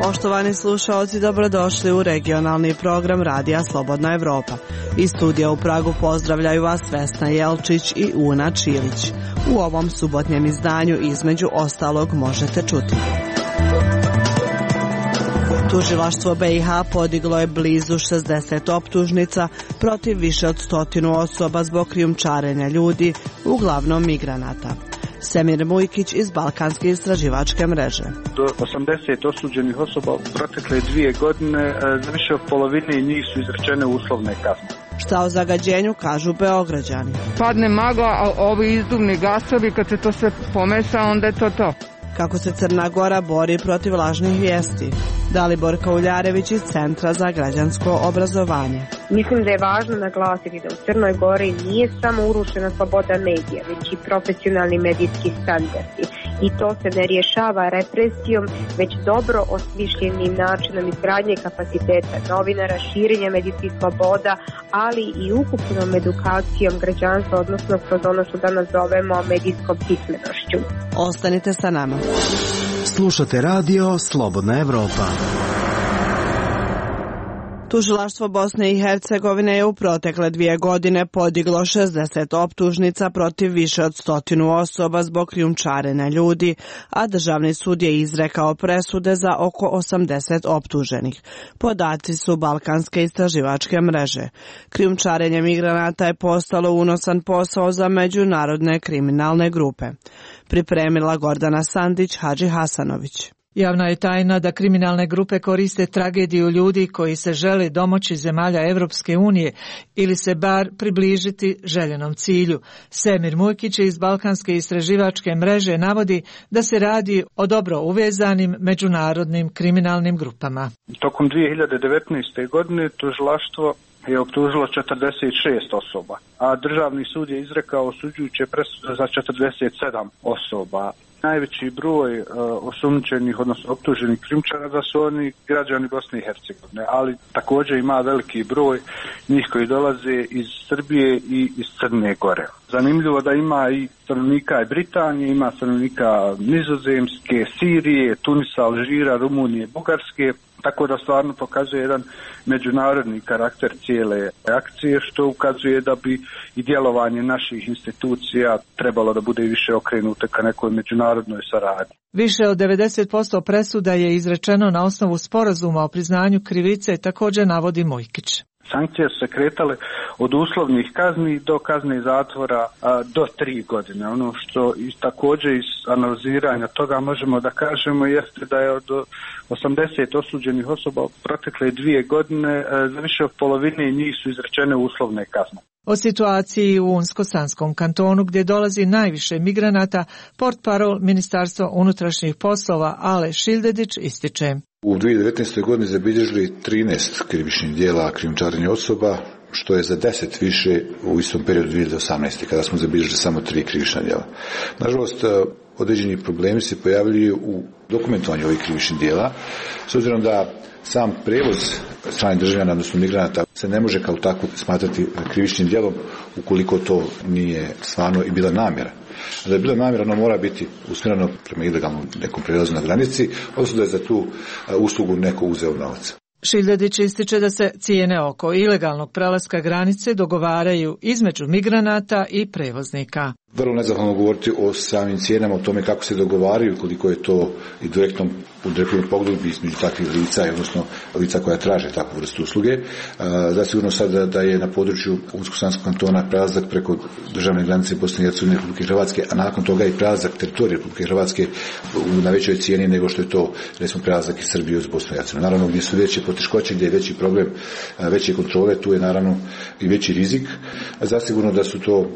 Poštovani slušaoci, dobrodošli u regionalni program Radija Slobodna Evropa. Iz studija u Pragu pozdravljaju vas Vesna Jelčić i Una Čilić. U ovom subotnjem izdanju između ostalog možete čuti. Tužilaštvo BiH podiglo je blizu 60 optužnica protiv više od 100 osoba zbog krijumčarenja ljudi, uglavnom migranata. Semir Mujkić iz Balkanske istraživačke mreže. Do 80 osuđenih osoba u protekle 2 godine, za više od polovine njih su izrečene uslovne kazne. Šta o zagađenju kažu Beograđani? Padne magla, a ovi izduvni gasovi, kad se to sve pomesa, onda je to. Kako se Crna Gora bori protiv lažnih vijesti? Dalibor Kauljarević iz Centra za građansko obrazovanje. Mislim da je važno naglasiti da u Crnoj Gori nije samo urušena sloboda medija, već i profesionalni medijski standardi. I to se ne rješava represijom, već dobro osmišljenim načinom izgradnje kapaciteta novinara, širenja medijskih sloboda, ali i ukupnom edukacijom građanstva, odnosno kroz ono što danas zovemo medijskom pismenošću. Ostanite sa nama. Slušate radio Slobodna Evropa. Tužilaštvo Bosne i Hercegovine je u protekle 2 godine podiglo 60 optužnica protiv više od 100 osoba zbog krijumčarenja ljudi, a državni sud je izrekao presude za oko 80 optuženih. Podaci su Balkanske istraživačke mreže. Krijumčarenje migranata je postalo unosan posao za međunarodne kriminalne grupe. Pripremila Gordana Sandić, Hadži Hasanović. Javna je tajna da kriminalne grupe koriste tragediju ljudi koji se žele domoći zemalja Evropske unije ili se bar približiti željenom cilju. Semir Mujkić iz Balkanske istraživačke mreže navodi da se radi o dobro uvezanim međunarodnim kriminalnim grupama. Tokom 2019. godine tužilaštvo je optužilo 46 osoba, a državni sud je izrekao osuđujuće presude za 47 osoba. Najveći broj osumnjičenih, odnosno optuženih krijumčara da su oni građani Bosne i Hercegovine, ali također ima veliki broj njih koji dolaze iz Srbije i iz Crne Gore. Zanimljivo da ima i stanovnika Britanije, ima stanovnika Nizozemske, Sirije, Tunisa, Alžira, Rumunije, Bugarske, tako da stvarno pokazuje jedan međunarodni karakter cijele akcije, što ukazuje da bi i djelovanje naših institucija trebalo da bude više okrenuto ka nekoj međunarodnoj saradnji. Više od 90% presuda je izrečeno na osnovu sporazuma o priznanju krivice, također navodi Mujkić. Sankcije su se kretale od uslovnih kazni do kazne zatvora do 3 godine. Ono što i također iz analiziranja toga možemo da kažemo jeste da je od 80 osuđenih osoba u protekle 2 godine za više od polovine njih su izrečene uslovne kazne. O situaciji u Unsko-Sanskom kantonu gdje dolazi najviše migranata, portparol Ministarstva unutrašnjih poslova Ale Šildedić ističe. U 2019. godini zabilježili 13 krivičnih djela krijumčarenja osoba, što je za 10 više u istom periodu 2018. kada smo zabilježili samo 3 krivična djela. Nažalost, određeni problemi se pojavljuju u dokumentovanju ovih krivičnih djela, s obzirom da sam prevoz stranih državljana, odnosno migranata, se ne može kao tako smatrati krivičnim djelom ukoliko to nije stvarno i bila namjera. Da je bila namjera, ono mora biti usmjereno prema ilegalnom nekom prelazu na granici, odnosno da je za tu uslugu neko uzeo novac. Šildedić ističe da se cijene oko ilegalnog prelaska granice dogovaraju između migranata i prevoznika. Vrlo nezahvalno govoriti o samim cijenama, o tome kako se dogovaraju, koliko je to i direktnom pogodbi između takvih lica, odnosno lica koja traže takvu vrstu usluge. Zasigurno sad da je na području Unsko-Sanskog kantona prelazak preko državne granice Bosne i Hercegovine i Republike Hrvatske, a nakon toga i prelazak teritorija Republike Hrvatske na većoj cijeni nego što je to, recimo, prelazak iz Srbije uz Bosnu i Hercegovinu. Naravno, gdje su veće poteškoće, gdje je veći problem, veće kontrole, tu je naravno i veći rizik. Zasigurno da su to,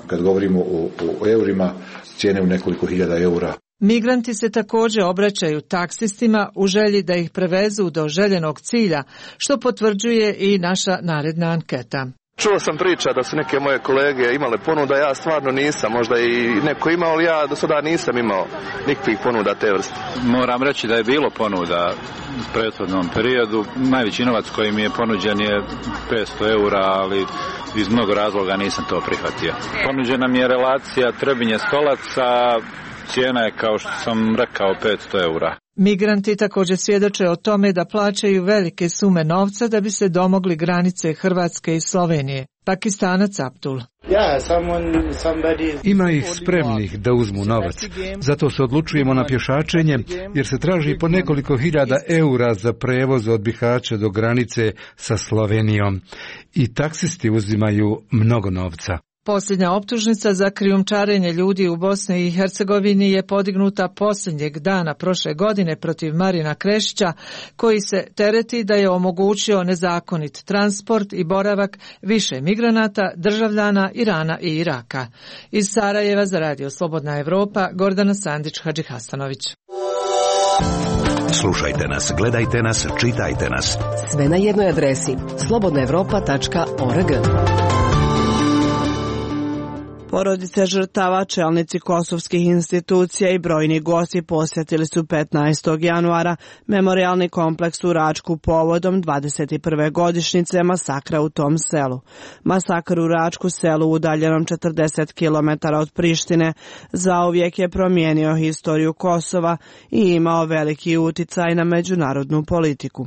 kad govorimo o eurima, cijene u nekoliko hiljada eura. Migranti se također obraćaju taksistima u želji da ih prevezu do željenog cilja, što potvrđuje i naša naredna anketa. Čuo sam priča da su neke moje kolege imale ponuda, ja stvarno nisam, možda i neko imao, ali ja do sada nisam imao nikakvih ponuda te vrste. Moram reći da je bilo ponuda u prethodnom periodu. Najveći novac koji mi je ponuđen je 500 eura, ali iz mnogo razloga nisam to prihvatio. Ponuđena mi je relacija Trebinje-Stolac, a cijena je, kao što sam rekao, 500 eura. Migranti također svjedoče o tome da plaćaju velike sume novca da bi se domogli granice Hrvatske i Slovenije. Pakistanac Abdul. Ima ih spremnih da uzmu novac. Zato se odlučujemo na pješačenje, jer se traži po nekoliko hiljada eura za prevoz od Bihaća do granice sa Slovenijom. I taksisti uzimaju mnogo novca. Posljednja optužnica za krijumčarenje ljudi u Bosni i Hercegovini je podignuta posljednjeg dana prošle godine protiv Marina Krešića, koji se tereti da je omogućio nezakonit transport i boravak više migranata, državljana Irana i Iraka. Iz Sarajeva za Radio Slobodna Evropa, Gordana Sandić-Hadžihasanović. Slušajte nas, gledajte nas, čitajte nas. Sve na jednoj adresi slobodnaevropa.org. Porodice žrtava, čelnici kosovskih institucija i brojni gosti posjetili su 15. januara memorijalni kompleks u Račku povodom 21. godišnjice masakra u tom selu. Masakr u Račku, selu udaljenom 40 km od Prištine, zauvijek je promijenio historiju Kosova i imao veliki uticaj na međunarodnu politiku.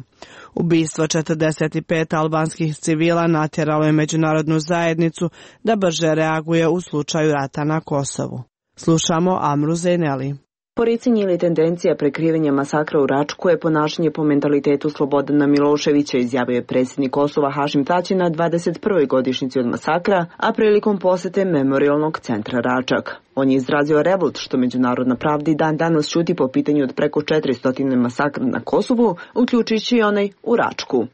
Ubistvo 45 albanskih civila natjeralo je međunarodnu zajednicu da brže reaguje u slučaju rata na Kosovu. Slušamo Amru Zeyneli. Poricanje ili tendencija prekrivanja masakra u Račku je ponašanje po mentalitetu Slobodana Miloševića, izjavio je predsjednik Kosova Hašim Tači na 21. godišnjici od masakra, a prilikom posjete memorijalnog centra Račak. On je izrazio revolt što međunarodna pravda i dan danas šuti po pitanju od preko 400 masakra na Kosovu, uključujući i onaj u Račku.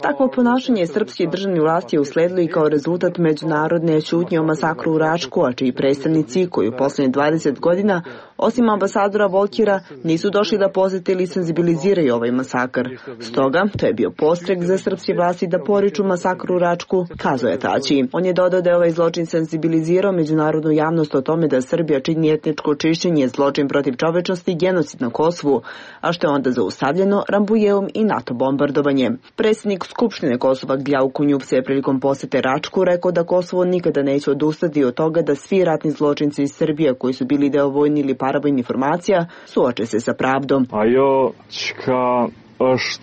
Takvo ponašanje srpske državne vlasti je usledilo i kao rezultat međunarodne šutnje o masakru u Račku, a čiji predstavnici koji u posljednjih 20 godina, osim ambasadora Volkira, nisu došli da posjete ili senzibiliziraju ovaj masakr. Stoga, to je bio postrek za srpske vlasti da poriču masakru u Račku, kazao je Tači. On je dodao da je ovaj zločin senzibilizirao međunarodnu javnost o tome da Srbija čini etničko čišćenje, zločin protiv čovečnosti i genocid na Kosovu, a što je onda zaustavljeno Rambujevom i NATO bombardovanjem. Predsjednik Skupštine Kosova Gljau Kunjup je prilikom posjete Račku rekao da Kosovo nikada neće odustati od toga da svi ratni zločinci iz Srbije koji su bili deo vojni ili paravojnih formacija suoče se sa pravdom.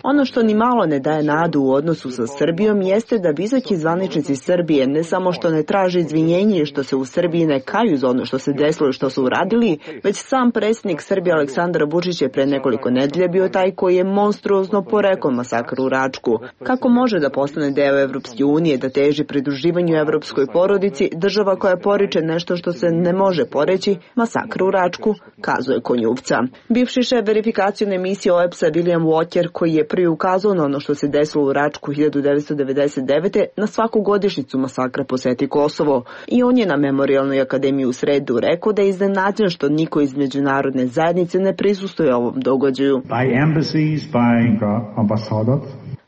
Ono što ni malo ne daje nadu u odnosu sa Srbijom jeste da visoki zvaničnici Srbije ne samo što ne traže izvinjenje i što se u Srbiji ne kaju za ono što se desilo i što su uradili, već sam predsjednik Srbije Aleksandar Vučić je pre nekoliko nedelja bio taj koji je monstruozno porekao masakr u Račku. Kako može da postane deo Evropske unije, da teži pridruživanju evropskoj porodici, država koja poriče nešto što se ne može poreći, masakr u Račku, kazuje Konjuvca. Bivši šef verifikacione misije OEBS-a William Walker, koji je prvi ukazao na ono što se desilo u Račku 1999. na svaku godišnjicu masakra posjeti Kosovo. I on je na Memorijalnoj akademiji u sredu rekao da je iznenađen što niko iz međunarodne zajednice ne prisustuje ovom događaju.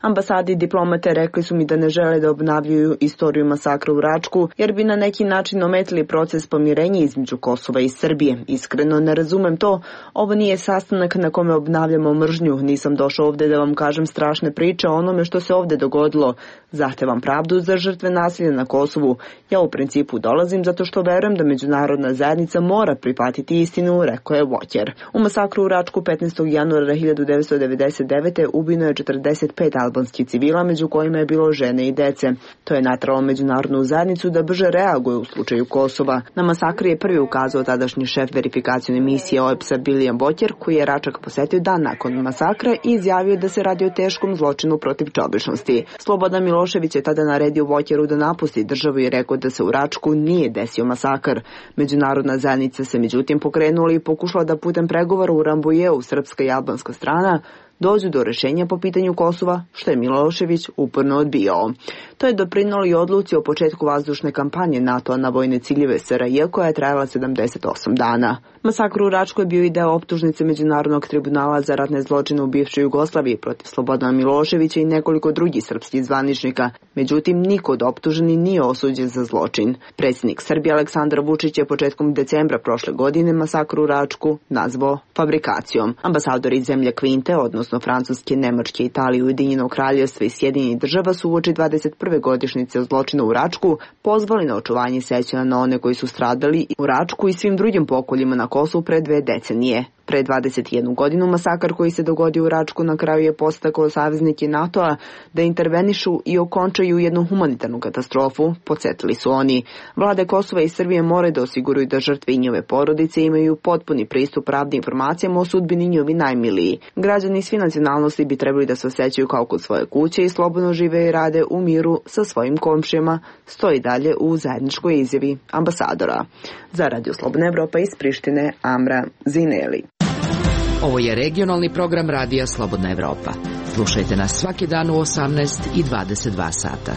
Ambasadi i diplomate rekli su mi da ne žele da obnavljaju istoriju masakra u Račku, jer bi na neki način ometili proces pomirenja između Kosova i Srbije. Iskreno ne razumem to. Ovo nije sastanak na kome obnavljamo mržnju. Nisam došao ovdje da vam kažem strašne priče o onome što se ovdje dogodilo. Zahtevam pravdu za žrtve nasilja na Kosovu. Ja u principu dolazim zato što verujem da međunarodna zajednica mora prihvatiti istinu, rekao je Walker. U masakru u Račku 15. januara 1999. ubijeno je 45 albanskih civila, među kojima je bilo žene i dece. To je natralo međunarodnu zajednicu da brže reaguje u slučaju Kosova. Na masakri je prvi ukazao tadašnji šef verifikacione misije OEBS-a William Walker, koji je Račak posjetio dan nakon masakra i izjavio da se radi o teškom zločinu protiv čovječnosti. Slobodan Milošević je tada naredio Walkeru da napusti državu i rekao da se u Račku nije desio masakr. Međunarodna zajednica se međutim pokrenula i pokušala da putem pregovora u Rambujeu, srpska i albanska strana, dođu do rješenja po pitanju Kosova, što je Milošević uporno odbijao. To je doprinijelo i odluci o početku vazdušne kampanje NATO-a na vojne ciljeve SRJ koja je trajala 78 dana. Masakr u Račku je bio i deo optužnice Međunarodnog tribunala za ratne zločine u bivšoj Jugoslaviji protiv Slobodana Miloševića i nekoliko drugih srpskih zvaničnika. Međutim, niko od optuženih nije osuđen za zločin. Predsjednik Srbije Aleksandar Vučić je početkom decembra prošle godine masakr u Račku nazvao fabrikacijom. Ambasador iz zemlje Kvinte, odnosno odnosno Francuske, Nemačke, Italije, Ujedinjenog Kraljevstva i Sjedinjenih Država su uoči 21. godišnjice zločina u Račku pozvali na očuvanje sećanja na one koji su stradali u Račku i svim drugim pokoljima na Kosovu pre 2 decenije. Pre 21 godinu masakar koji se dogodio u Račku na kraju je podstakao saveznike NATO-a da intervenišu i okončaju jednu humanitarnu katastrofu, podsjetili su oni. Vlade Kosova i Srbije moraju da osiguraju da žrtve i njove porodice imaju potpuni pristup pravnim informacijama o sudbini njihovi najmiliji. Građani svi nacionalnosti bi trebali da se osjećaju kao kod svoje kuće i slobodno žive i rade u miru sa svojim komšijama, stoji dalje u zajedničkoj izjavi ambasadora. Za Radio Slobodna Evropa iz Prištine, Amra Zineli. Ovo je regionalni program Radija Slobodna Evropa. Slušajte nas svaki dan u 18 i 22 sata.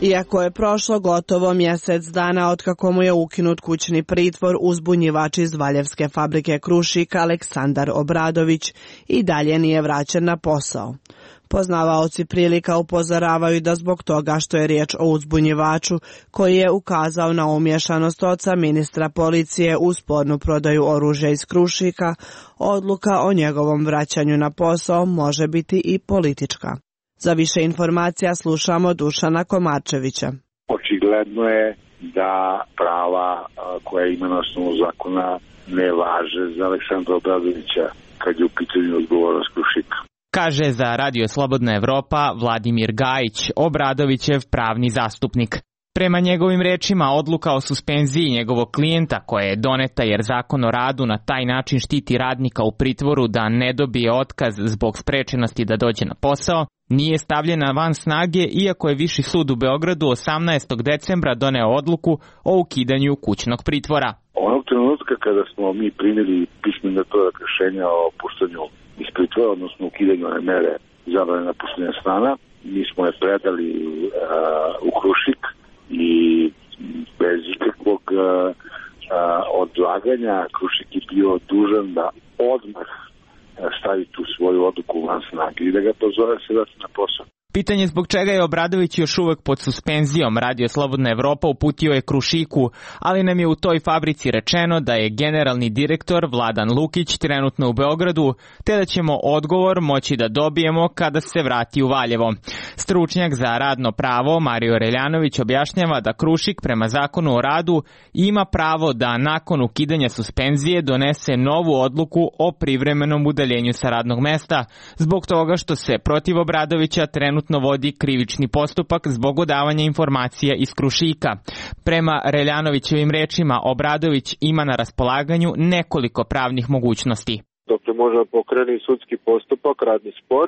Iako je prošlo gotovo mjesec dana otkako mu je ukinut kućni pritvor, uzbunjivač iz Valjevske fabrike Krušik Aleksandar Obradović i dalje nije vraćen na posao. Poznavaoci prilika upozoravaju da zbog toga što je riječ o uzbunjivaču koji je ukazao na umješanost oca ministra policije u spornu prodaju oružja iz Krušika, odluka o njegovom vraćanju na posao može biti i politička. Za više informacija slušamo Dušana Komarčevića. Očigledno je da prava koja ima na osnovu zakona ne važe za Aleksandra Obradovića kad je u pitanju odgovornost Krušika. Kaže za Radio Slobodna Evropa Vladimir Gajić, Obradovićev pravni zastupnik. Prema njegovim rečima, odluka o suspenziji njegovog klijenta koja je doneta jer Zakon o radu na taj način štiti radnika u pritvoru da ne dobije otkaz zbog sprečenosti da dođe na posao, nije stavljena van snage iako je Viši sud u Beogradu 18. decembra doneo odluku o ukidanju kućnog pritvora. Onog trenutka kada smo mi primili pismeni metodak rješenja o puštanju iz pritvora, odnosno ukidanju one mere zabrane napuštanja stana, mi smo je predali u Krušik i bez ikakvog odlaganja Krušik je bio dužan da odmah stavi tu svoju odluku van snage i da ga pozove se vrati na posao. Pitanje zbog čega je Obradović još uvek pod suspenzijom Radio Slobodna Evropa uputio je Krušiku, ali nam je u toj fabrici rečeno da je generalni direktor Vladan Lukić trenutno u Beogradu, te da ćemo odgovor moći da dobijemo kada se vrati u Valjevo. Stručnjak za radno pravo Mario Reljanović objašnjava da Krušik prema Zakonu o radu ima pravo da nakon ukidanja suspenzije donese novu odluku o privremenom udaljenju sa radnog mesta, zbog toga što se protiv Obradovića trenutno vodi krivični postupak zbog odavanja informacija iz Krušika. Prema Reljanovićevim rečima, Obradović ima na raspolaganju nekoliko pravnih mogućnosti. Dakle, može da pokrene sudski postupak, radni spor.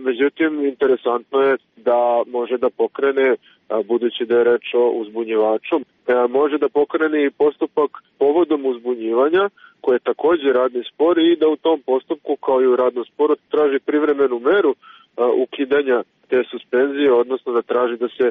Međutim, interesantno je da može da pokrene, budući da je reč o uzbunjivaču, može da pokrene i postupak povodom uzbunjivanja, koje je također radni spor i da u tom postupku, kao i u radnom sporu, traži privremenu meru ukidanja te suspenzije, odnosno da traži da se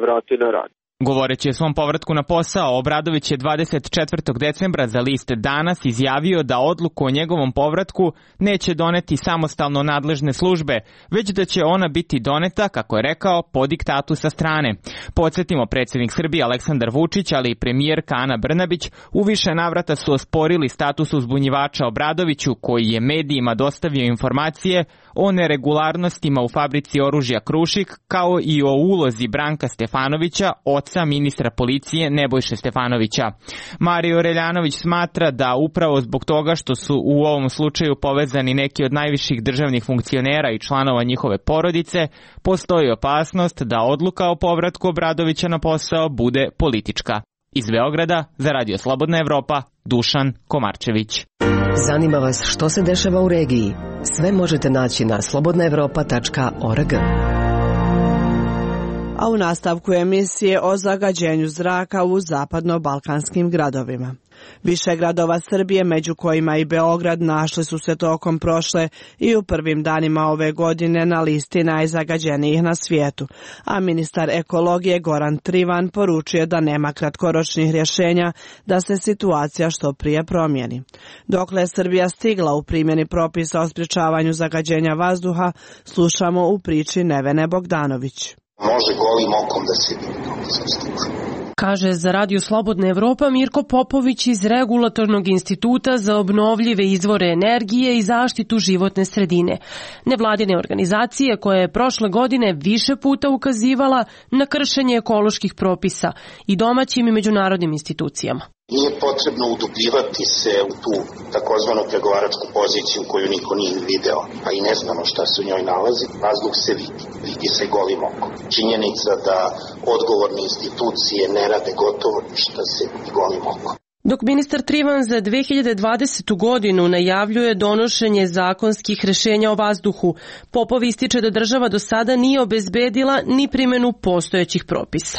vrati na rad. Govoreći o svom povratku na posao, Obradović je 24. decembra za list Danas izjavio da odluku o njegovom povratku neće doneti samostalno nadležne službe, već da će ona biti doneta, kako je rekao, po diktatu sa strane. Podsjetimo, predsjednik Srbije Aleksandar Vučić, ali i premijerka Ana Brnabić u više navrata su osporili status uzbunjivača Obradoviću, koji je medijima dostavio informacije o neregularnostima u fabrici oružja Krušik, kao i o ulozi Branka Stefanovića, oca ministra policije Nebojše Stefanovića. Mario Reljanović smatra da upravo zbog toga što su u ovom slučaju povezani neki od najviših državnih funkcionera i članova njihove porodice, postoji opasnost da odluka o povratku Obradovića na posao bude politička. Iz Beograda za Radio Slobodna Evropa, Dušan Komarčević. Zanima vas što se dešava u regiji? Sve možete naći na slobodnaevropa.org. A u nastavku emisije o zagađenju zraka u zapadno-balkanskim gradovima. Više gradova Srbije, među kojima i Beograd, našli su se tokom prošle i u prvim danima ove godine na listi najzagađenijih na svijetu, a ministar ekologije Goran Trivan poručuje da nema kratkoročnih rješenja da se situacija što prije promijeni. Dokle je Srbija stigla u primjeni propisa o sprječavanju zagađenja vazduha, slušamo u priči Nevene Bogdanović. Može golim okom da se vidi kako sam stiču. Kaže za Radio Slobodna Evropa Mirko Popović iz Regulatornog instituta za obnovljive izvore energije i zaštitu životne sredine. Nevladine organizacije koja je prošle godine više puta ukazivala na kršenje ekoloških propisa i domaćim i međunarodnim institucijama. Nije potrebno udubljivati se u tu takozvanu pregovaračku poziciju koju niko nije video, a i ne znamo šta se u njoj nalazi. Vazduh se vidi se golim okom. Činjenica da odgovorne institucije ne rade gotovo ništa se vidi golim okom. Dok ministar Trivan za 2020. godinu najavljuje donošenje zakonskih rešenja o vazduhu, Popov ističe da država do sada nije obezbedila ni primjenu postojećih propisa.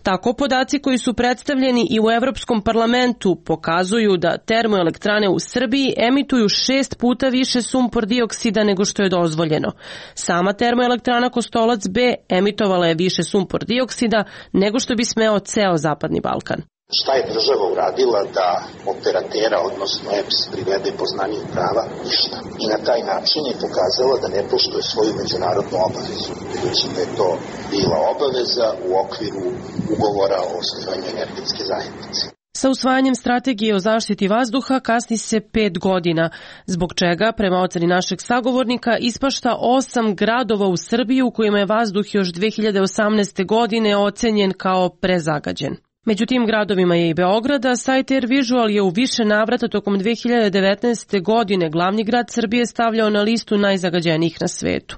Tako podaci koji su predstavljeni i u Evropskom parlamentu pokazuju da termoelektrane u Srbiji emituju 6 puta više sumpor dioksida nego što je dozvoljeno. Sama termoelektrana Kostolac B emitovala je više sumpor dioksida nego što bi smeo ceo Zapadni Balkan. Šta je država uradila da operatera, odnosno EPS, privede poznaniju prava? Ništa. I na taj način je pokazala da ne poštuje svoju međunarodnu obavezu. Budući da je to bila obaveza u okviru ugovora o osnivanju energetske zajednice. Sa usvajanjem strategije o zaštiti vazduha kasni se 5 godina, zbog čega, prema oceni našeg sagovornika, ispašta 8 gradova u Srbiji u kojima je vazduh još 2018. godine ocenjen kao prezagađen. Među tim gradovima je i Beograda. Sajt Air Visual je u više navrata tokom 2019. godine glavni grad Srbije stavljao na listu najzagađenijih na svetu.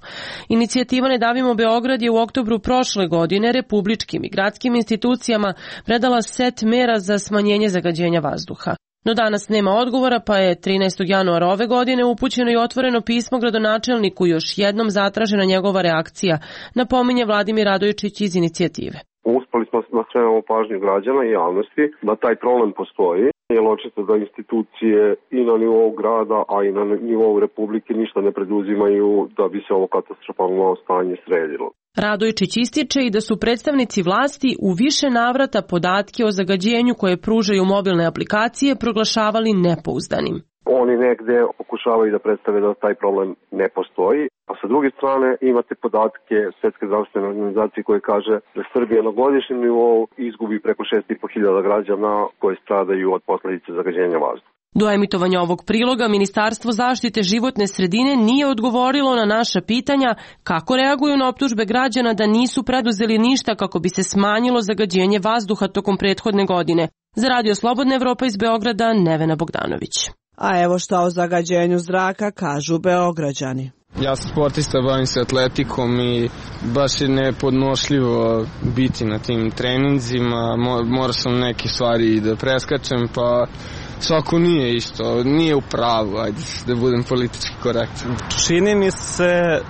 Inicijativa Ne davimo Beograd je u oktobru prošle godine republičkim i gradskim institucijama predala set mera za smanjenje zagađenja vazduha. No danas nema odgovora, pa je 13. januara ove godine upućeno i otvoreno pismo gradonačelniku, još jednom zatražena njegova reakcija, napominje Vladimir Radojičić iz inicijative. Uspeli smo da skrenemo pažnju građana i javnosti da taj problem postoji, jer očito da institucije i na nivou grada, a i na nivou Republike ništa ne preduzimaju da bi se ovo katastrofalno stanje sredilo. Radojičić ističe i da su predstavnici vlasti u više navrata podatke o zagađenju koje pružaju mobilne aplikacije proglašavali nepouzdanim. Oni negde pokušavaju da predstave da taj problem ne postoji, a sa druge strane imate podatke Svetske zdravstvene organizacije koje kaže da Srbija na godišnjem nivou izgubi preko 6.500 građana koji stradaju od posledice zagađenja vazduha. Do emitovanja ovog priloga Ministarstvo zaštite životne sredine nije odgovorilo na naša pitanja kako reaguju na optužbe građana da nisu preduzeli ništa kako bi se smanjilo zagađenje vazduha tokom prethodne godine. Za Radio Slobodna Evropa iz Beograda, Nevena Bogdanović. A evo šta o zagađenju zraka kažu Beograđani. Ja sam sportista, bavim se atletikom i baš je nepodnošljivo biti na tim treninzima. Morao sam neke stvari da preskačem, pa svako nije isto, nije u pravu, ajde da budem politički korektan. Čini mi se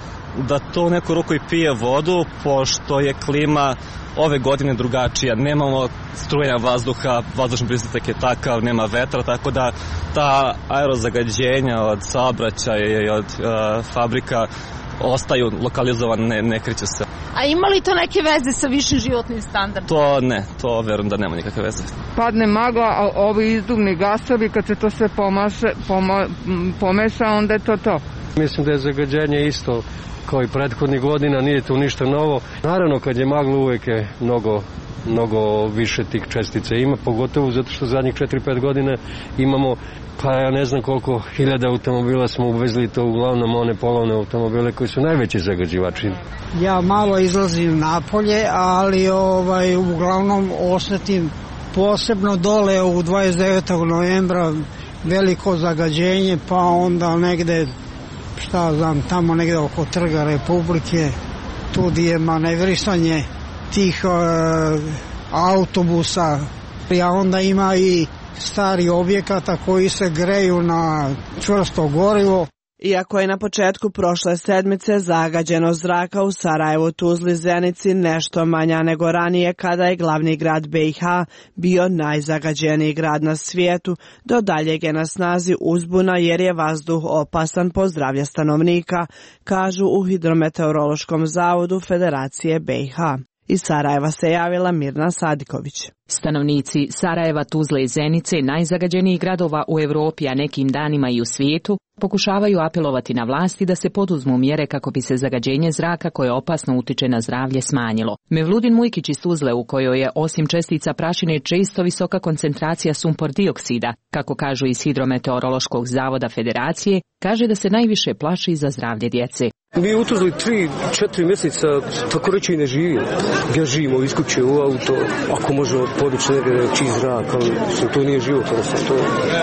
da to u neku ruku i pije vodu, pošto je klima ove godine drugačija. Nemamo strujenja vazduha, vazdušni pritisak je takav, nema vetra, tako da ta aerozagađenja od saobraćaja i od fabrika ostaju lokalizovane, ne kreću se. A ima li to neke veze sa višim životnim standardom? To ne, to verujem da nema nikakve veze. Padne magla, a ovi izduvni gasovi, kad se to sve pomeša, onda je to. Mislim da je zagađenje isto kao i prethodnih godina, nije tu ništa novo. Naravno, kad je magla uvek je mnogo više tih čestica ima, pogotovo zato što zadnjih 4-5 godina imamo, pa ja ne znam koliko hiljada automobila smo uvezli, to uglavnom one polovne automobile koji su najveći zagađivači. Ja malo izlazim napolje, ali uglavnom osetim posebno dole u 29. novembra veliko zagađenje, pa onda negde tamo negde oko Trga Republike, tu gdje je manevrisanje tih autobusa, a onda ima i stari objekata koji se greju na čvrsto gorivo. Iako je na početku prošle sedmice zagađenost zraka u Sarajevu, Tuzli, Zenici nešto manja nego ranije kada je glavni grad BiH bio najzagađeniji grad na svijetu, do daljeg je na snazi uzbuna jer je vazduh opasan po zdravlje stanovnika, kažu u Hidrometeorološkom zavodu Federacije BiH. Iz Sarajeva se javila Mirna Sadiković. Stanovnici Sarajeva, Tuzle i Zenice, najzagađenijih gradova u Europi, a nekim danima i u svijetu, pokušavaju apelovati na vlasti da se poduzmu mjere kako bi se zagađenje zraka koje opasno utiče na zdravlje smanjilo. Mevludin Mujkić iz Tuzle, u kojoj je osim čestica prašine često visoka koncentracija sumpor dioksida, kako kažu iz Hidrometeorološkog zavoda Federacije, kaže da se najviše plaši za zdravlje djece. Mi u Tuzli 3-4 mjeseca tako reći i ne živimo. Ja živimo iz kuće u auto, ako možemo podići negdje čist zrak, ali to nije život,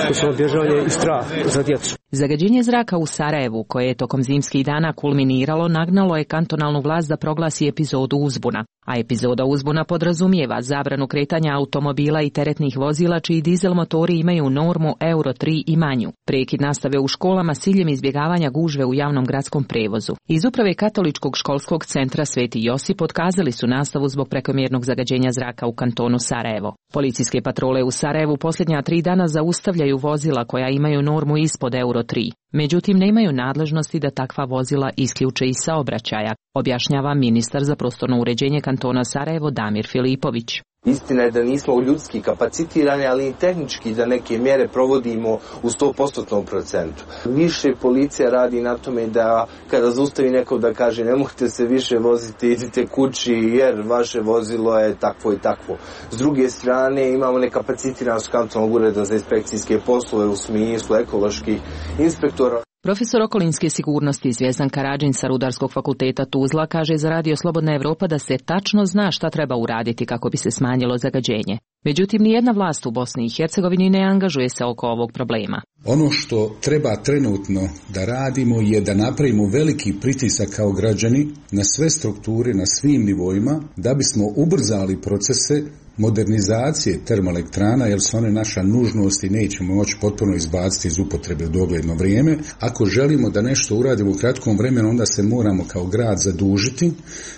to su bježanje i strah za djecu. Zagađenje zraka u Sarajevu, koje je tokom zimskih dana kulminiralo, nagnalo je kantonalnu vlast da proglasi epizodu uzbuna. A epizoda uzbuna podrazumijeva zabranu kretanja automobila i teretnih vozila čiji dizel motori imaju normu Euro 3 i manju. Prekid nastave u školama s ciljem izbjegavanja gužve u javnom gradskom prevozu. Iz uprave Katoličkog školskog centra Sveti Josip otkazali su nastavu zbog prekomjernog zagađenja zraka u kantonu Sarajevo. Policijske patrole u Sarajevu posljednja 3 dana zaustavljaju vozila koja imaju normu ispod Euro 3. Međutim, nemaju nadležnosti da takva vozila isključe iz saobraćaja, objašnjava ministar za prostorno uređenje kantona Sarajevo Damir Filipović. Istina je da nismo ljudski kapacitirani, ali i tehnički da neke mjere provodimo u 100%. Više policija radi na tome da kada zaustavi neko da kaže ne možete se više voziti, idite kući jer vaše vozilo je takvo i takvo. S druge strane imamo nekapacitiranost kantonalnog ureda za inspekcijske poslove u smislu ekoloških inspektora. Profesor okolinske sigurnosti Zvjezdan Karadžin sa Rudarskog fakulteta Tuzla kaže za Radio Slobodna Evropa da se tačno zna šta treba uraditi kako bi se smanjilo zagađenje. Međutim, nijedna vlast u Bosni i Hercegovini ne angažuje se oko ovog problema. Ono što treba trenutno da radimo je da napravimo veliki pritisak kao građani na sve strukture, na svim nivoima, da bismo ubrzali procese modernizacije termoelektrana, jer su one naša nužnost i nećemo moći potpuno izbaciti iz upotrebe u dogledno vrijeme. Ako želimo da nešto uradimo u kratkom vremenu, onda se moramo kao grad zadužiti,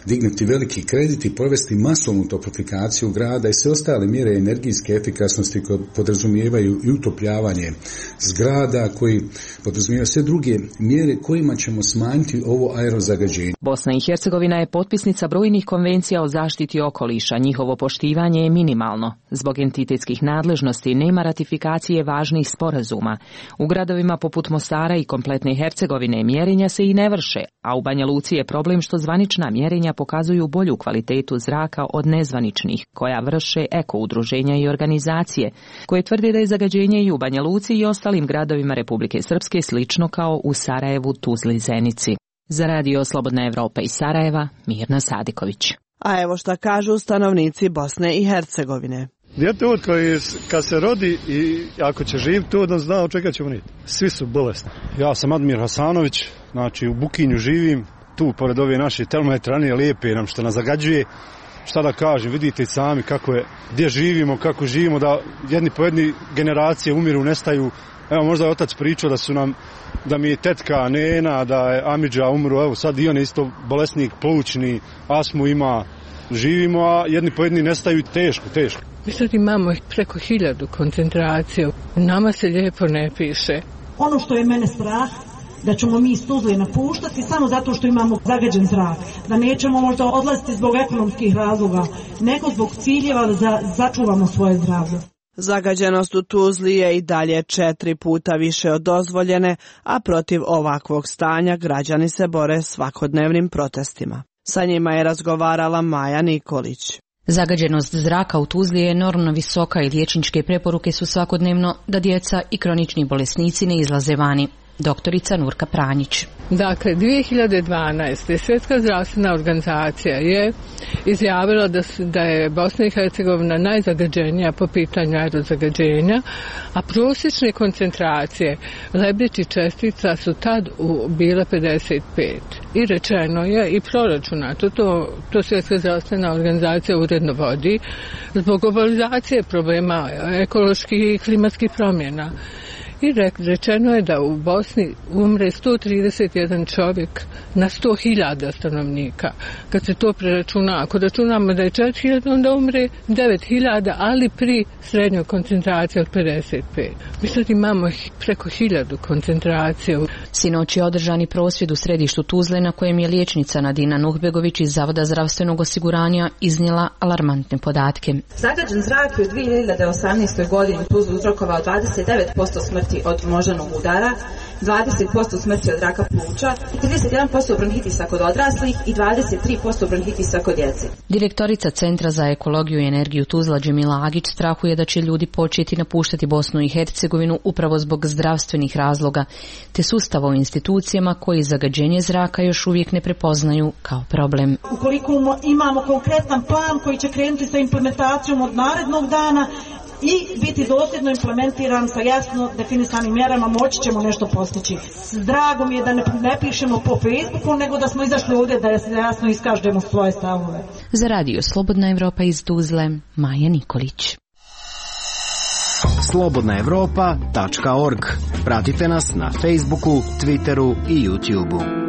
dignuti veliki kredit i provesti masovnu toplifikaciju grada i sve ostale mjere energijske efikasnosti koje podrazumijevaju i utopljavanje zgrada, koji podrazumijevaju sve druge mjere kojima ćemo smanjiti ovo aerozagađenje. Bosna i Hercegovina je potpisnica brojnih konvencija o zaštiti okoliša. Njihovo poštivanje je minimalno. Zbog entitetskih nadležnosti nema ratifikacije važnih sporazuma. U gradovima poput Mostara i kompletne Hercegovine mjerenja se i ne vrše, a u Banja Luci je problem što zvanična mjerenja pokazuju bolju kvalitetu zraka od nezvaničnih, koja vrše eko-udruženja i organizacije, koje tvrde da je zagađenje i u Banja Luci i ostalim gradovima Republike Srpske slično kao u Sarajevu, Tuzli, Zenici. Za Radio Slobodna Evropa iz Sarajeva, Mirna Sadiković. A evo šta kažu stanovnici Bosne i Hercegovine. Dijete koji kad se rodi i ako će živjeti tu, da zna od čega će umriti. Svi su bolesni. Ja sam Admir Hasanović, znači u Bukinju živim, tu pored ove naše termoelektrane lijepe nam što nas zagađuje. Šta da kažem, vidite i sami kako je, gdje živimo, kako živimo, da jedni po jedni generacije umiru, nestaju. Evo možda je otac pričao da mi je tetka Nena, da je Amidža umru, evo sad i on je isto bolesnik, plućni, astmu ima, živimo, a jedni po jedni nestaju teško. Mi sad imamo preko 1000 koncentracija, nama se lijepo ne piše. Ono što je mene strah, da ćemo mi iz Tuzle napuštati samo zato što imamo zagađen zrak, da nećemo možda odlaziti zbog ekonomskih razloga, nego zbog ciljeva da začuvamo svoje zdravlje. Zagađenost u Tuzli je i dalje 4 puta više od dozvoljene, a protiv ovakvog stanja građani se bore svakodnevnim protestima. Sa njima je razgovarala Maja Nikolić. Zagađenost zraka u Tuzli je enormno visoka i liječničke preporuke su svakodnevno da djeca i kronični bolesnici ne izlaze vani. Doktorica Nurka Pranjić. Dakle, 2012. Svjetska zdravstvena organizacija je izjavila da je Bosna i Hercegovina najzagađenija po pitanju aerozagađenja, a prosječne koncentracije lebdećih čestica su tad bile 55. I rečeno je i proračunato, to Svjetska zdravstvena organizacija uredno vodi, zbog globalizacije problema ekoloških i klimatskih promjena. i rečeno je da u Bosni umre 131 čovjek na 100.000 stanovnika. Kad se to preračuna, ako računamo da je 4.000, onda umre 9.000, ali pri srednjoj koncentraciji od 55. Mi sad imamo preko 1000 koncentracija. Sinoć je održani prosvjed u središtu Tuzle na kojem je liječnica Nadina Nuhbegović iz Zavoda zdravstvenog osiguranja iznijela alarmantne podatke. Zagađen zrak je u 2018. godini u Tuzli uzrokovao 29% smrti od moždanog udara, 20% smrti od raka pluća, 31% bronhitisa kod odraslih i 23% bronhitisa kod djece. Direktorica Centra za ekologiju i energiju Tuzla Džemila Agić strahuje da će ljudi početi napuštati Bosnu i Hercegovinu upravo zbog zdravstvenih razloga, te sustava u institucijama koji zagađenje zraka još uvijek ne prepoznaju kao problem. Ukoliko imamo konkretan plan koji će krenuti sa implementacijom od narednog dana i biti dosljedno implementiran sa jasno definisanim mjerama, moći ćemo nešto postići. Drago mi je da ne pišemo po Facebooku, nego da smo izašli ovdje da jasno iskažemo svoje stavove. Za radio Slobodna Evropa iz Tuzle, Maja Nikolić. slobodnaevropa.org. Pratite nas na Facebooku, Twitteru i YouTubeu.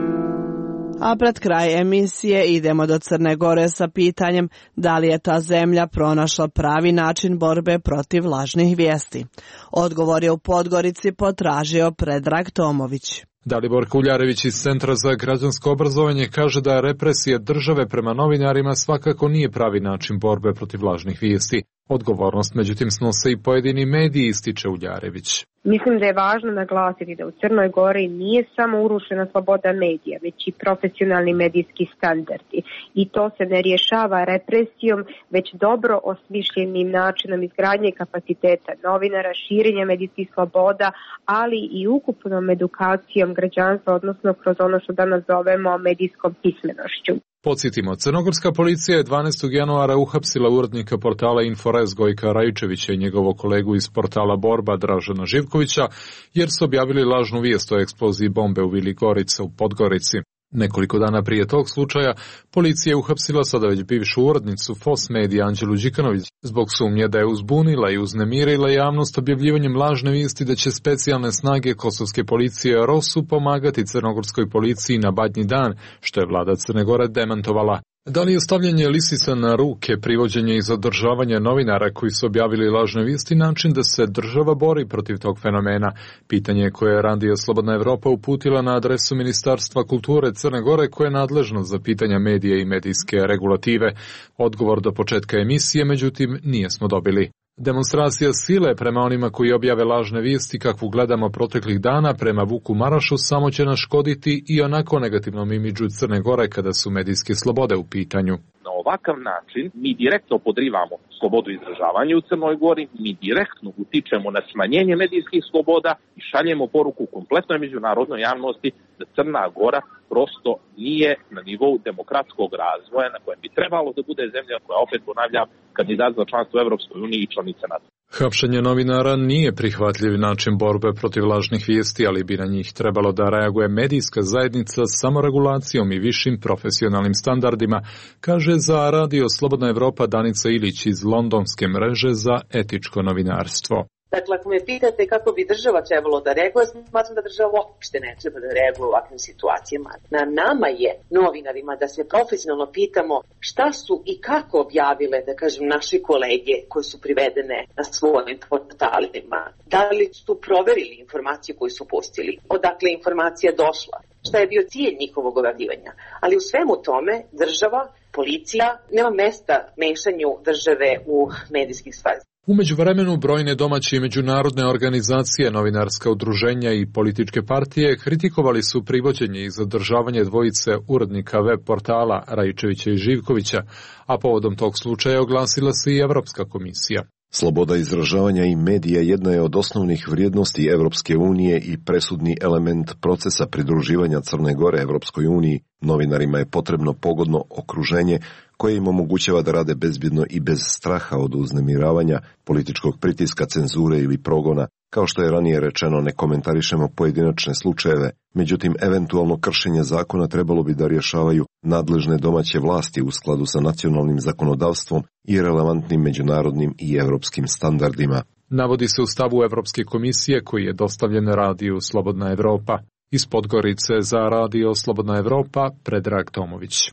A pred kraj emisije idemo do Crne Gore sa pitanjem da li je ta zemlja pronašla pravi način borbe protiv lažnih vijesti. Odgovor je u Podgorici potražio Predrag Tomović. Dalibor Kuljarević iz Centra za građansko obrazovanje kaže da represije države prema novinarima svakako nije pravi način borbe protiv lažnih vijesti. Odgovornost međutim snose i pojedini mediji, ističe Uljarević. Mislim da je važno naglasiti da u Crnoj Gori nije samo urušena sloboda medija, već i profesionalni medijski standardi. I to se ne rješava represijom, već dobro osmišljenim načinom izgradnje kapaciteta novinara, širenja medijskih sloboda, ali i ukupnom edukacijom građanstva, odnosno kroz ono što danas zovemo medijskom pismenošću. Podsjetimo, crnogorska policija je 12. januara uhapsila urednika portala Inforez Gojka Rajčevića i njegovog kolegu iz portala Borba Dražena Živkovića, jer su objavili lažnu vijest o eksploziji bombe u Vili Gorica u Podgorici. Nekoliko dana prije tog slučaja, policija je uhapsila sada već bivšu urednicu FOS Medija Anđelu Đikanović zbog sumnje da je uzbunila i uznemirila javnost objavljivanjem lažne vijesti da će specijalne snage kosovske policije ROSU pomagati crnogorskoj policiji na Badnji dan, što je vlada Crne Gore demantovala. Da li je stavljanje lisica na ruke, privođenje i zadržavanje novinara koji su objavili lažne vijesti način da se država bori protiv tog fenomena? Pitanje koje je Radio Slobodna Evropa uputila na adresu Ministarstva kulture Crne Gore koje je nadležno za pitanja medija i medijske regulative. Odgovor do početka emisije, međutim, nijesmo dobili. Demonstracija sile prema onima koji objave lažne vijesti kakvu gledamo proteklih dana prema Vuku Marašu samo će naškoditi i onako negativnom imidžu Crne Gore kada su medijske slobode u pitanju. Na ovakav način mi direktno podrivamo slobodu izražavanja u Crnoj Gori, mi direktno utičemo na smanjenje medijskih sloboda i šaljemo poruku kompletnoj međunarodnoj javnosti da Crna Gora prosto nije na nivou demokratskog razvoja na kojem bi trebalo da bude zemlja koja, opet ponavljam, kandidat za članstvo u Evropskoj uniji i članica NATO. Hapšenje novinara nije prihvatljiv način borbe protiv lažnih vijesti, ali bi na njih trebalo da reaguje medijska zajednica samoregulacijom i višim profesionalnim standardima, kaže za Radio Slobodna Evropa Danica Ilić iz londonske mreže za etičko novinarstvo. Dakle, ako me pitate kako bi država trebalo da reaguje, smatram da država uopšte ne treba da reaguje u ovakvim situacijama. Na nama je, novinarima, da se profesionalno pitamo šta su i kako objavile, da kažem, naše kolege koje su privedene na svojim portalima. Da li su proverili informaciju koju su pustili, odakle informacija došla, šta je bio cilj njihovog objavljivanja. Ali u svemu tome država, policija, nema mesta mešanju države u medijskih stvari. U međuvremenu brojne domaće i međunarodne organizacije, novinarska udruženja i političke partije kritikovali su privođenje i zadržavanje dvojice urednika web portala Rajčevića i Živkovića, a povodom tog slučaja oglasila se i Evropska komisija. Sloboda izražavanja i medija jedna je od osnovnih vrijednosti Evropske unije i presudni element procesa pridruživanja Crne Gore Evropskoj uniji. Novinarima je potrebno pogodno okruženje koje im omogućava da rade bezbjedno i bez straha od uznemiravanja, političkog pritiska, cenzure ili progona. Kao što je ranije rečeno, ne komentarišemo pojedinačne slučajeve, međutim, eventualno kršenje zakona trebalo bi da rješavaju nadležne domaće vlasti u skladu sa nacionalnim zakonodavstvom i relevantnim međunarodnim i evropskim standardima. navodi se u stavu Evropske komisije koji je dostavljen radiju Slobodna Evropa. Iz Podgorice za radio Slobodna Evropa, Predrag Tomović.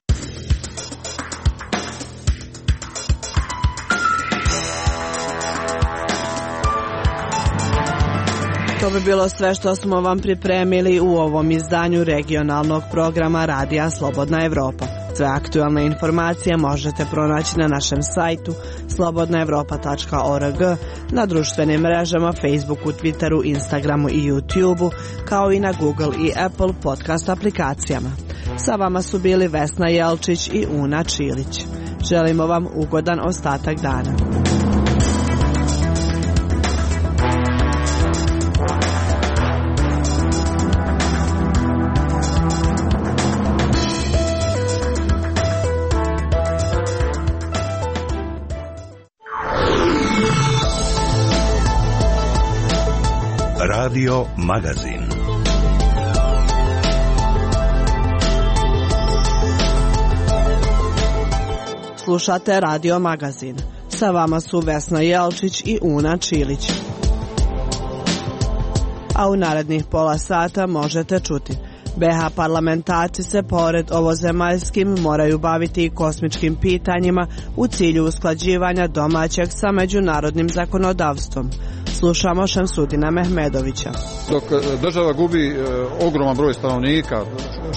To bi bilo sve što smo vam pripremili u ovom izdanju regionalnog programa Radija Slobodna Evropa. Sve aktualne informacije možete pronaći na našem sajtu slobodnaevropa.org, na društvenim mrežama Facebooku, Twitteru, Instagramu i YouTubeu, kao i na Google i Apple podcast aplikacijama. Sa vama su bili Vesna Jelčić i Una Čilić. Želimo vam ugodan ostatak dana. Radio Magazin. Slušate Radio Magazin. Sa vama su Vesna Jelčić i Una Čilić. A u narednih pola sata možete čuti: BH parlamentarci se pored ovozemaljskim moraju baviti i kosmičkim pitanjima u cilju usklađivanja domaćeg sa međunarodnim zakonodavstvom. Slušamo Šemsudina Mehmedovića. Dok država gubi ogroman broj stanovnika,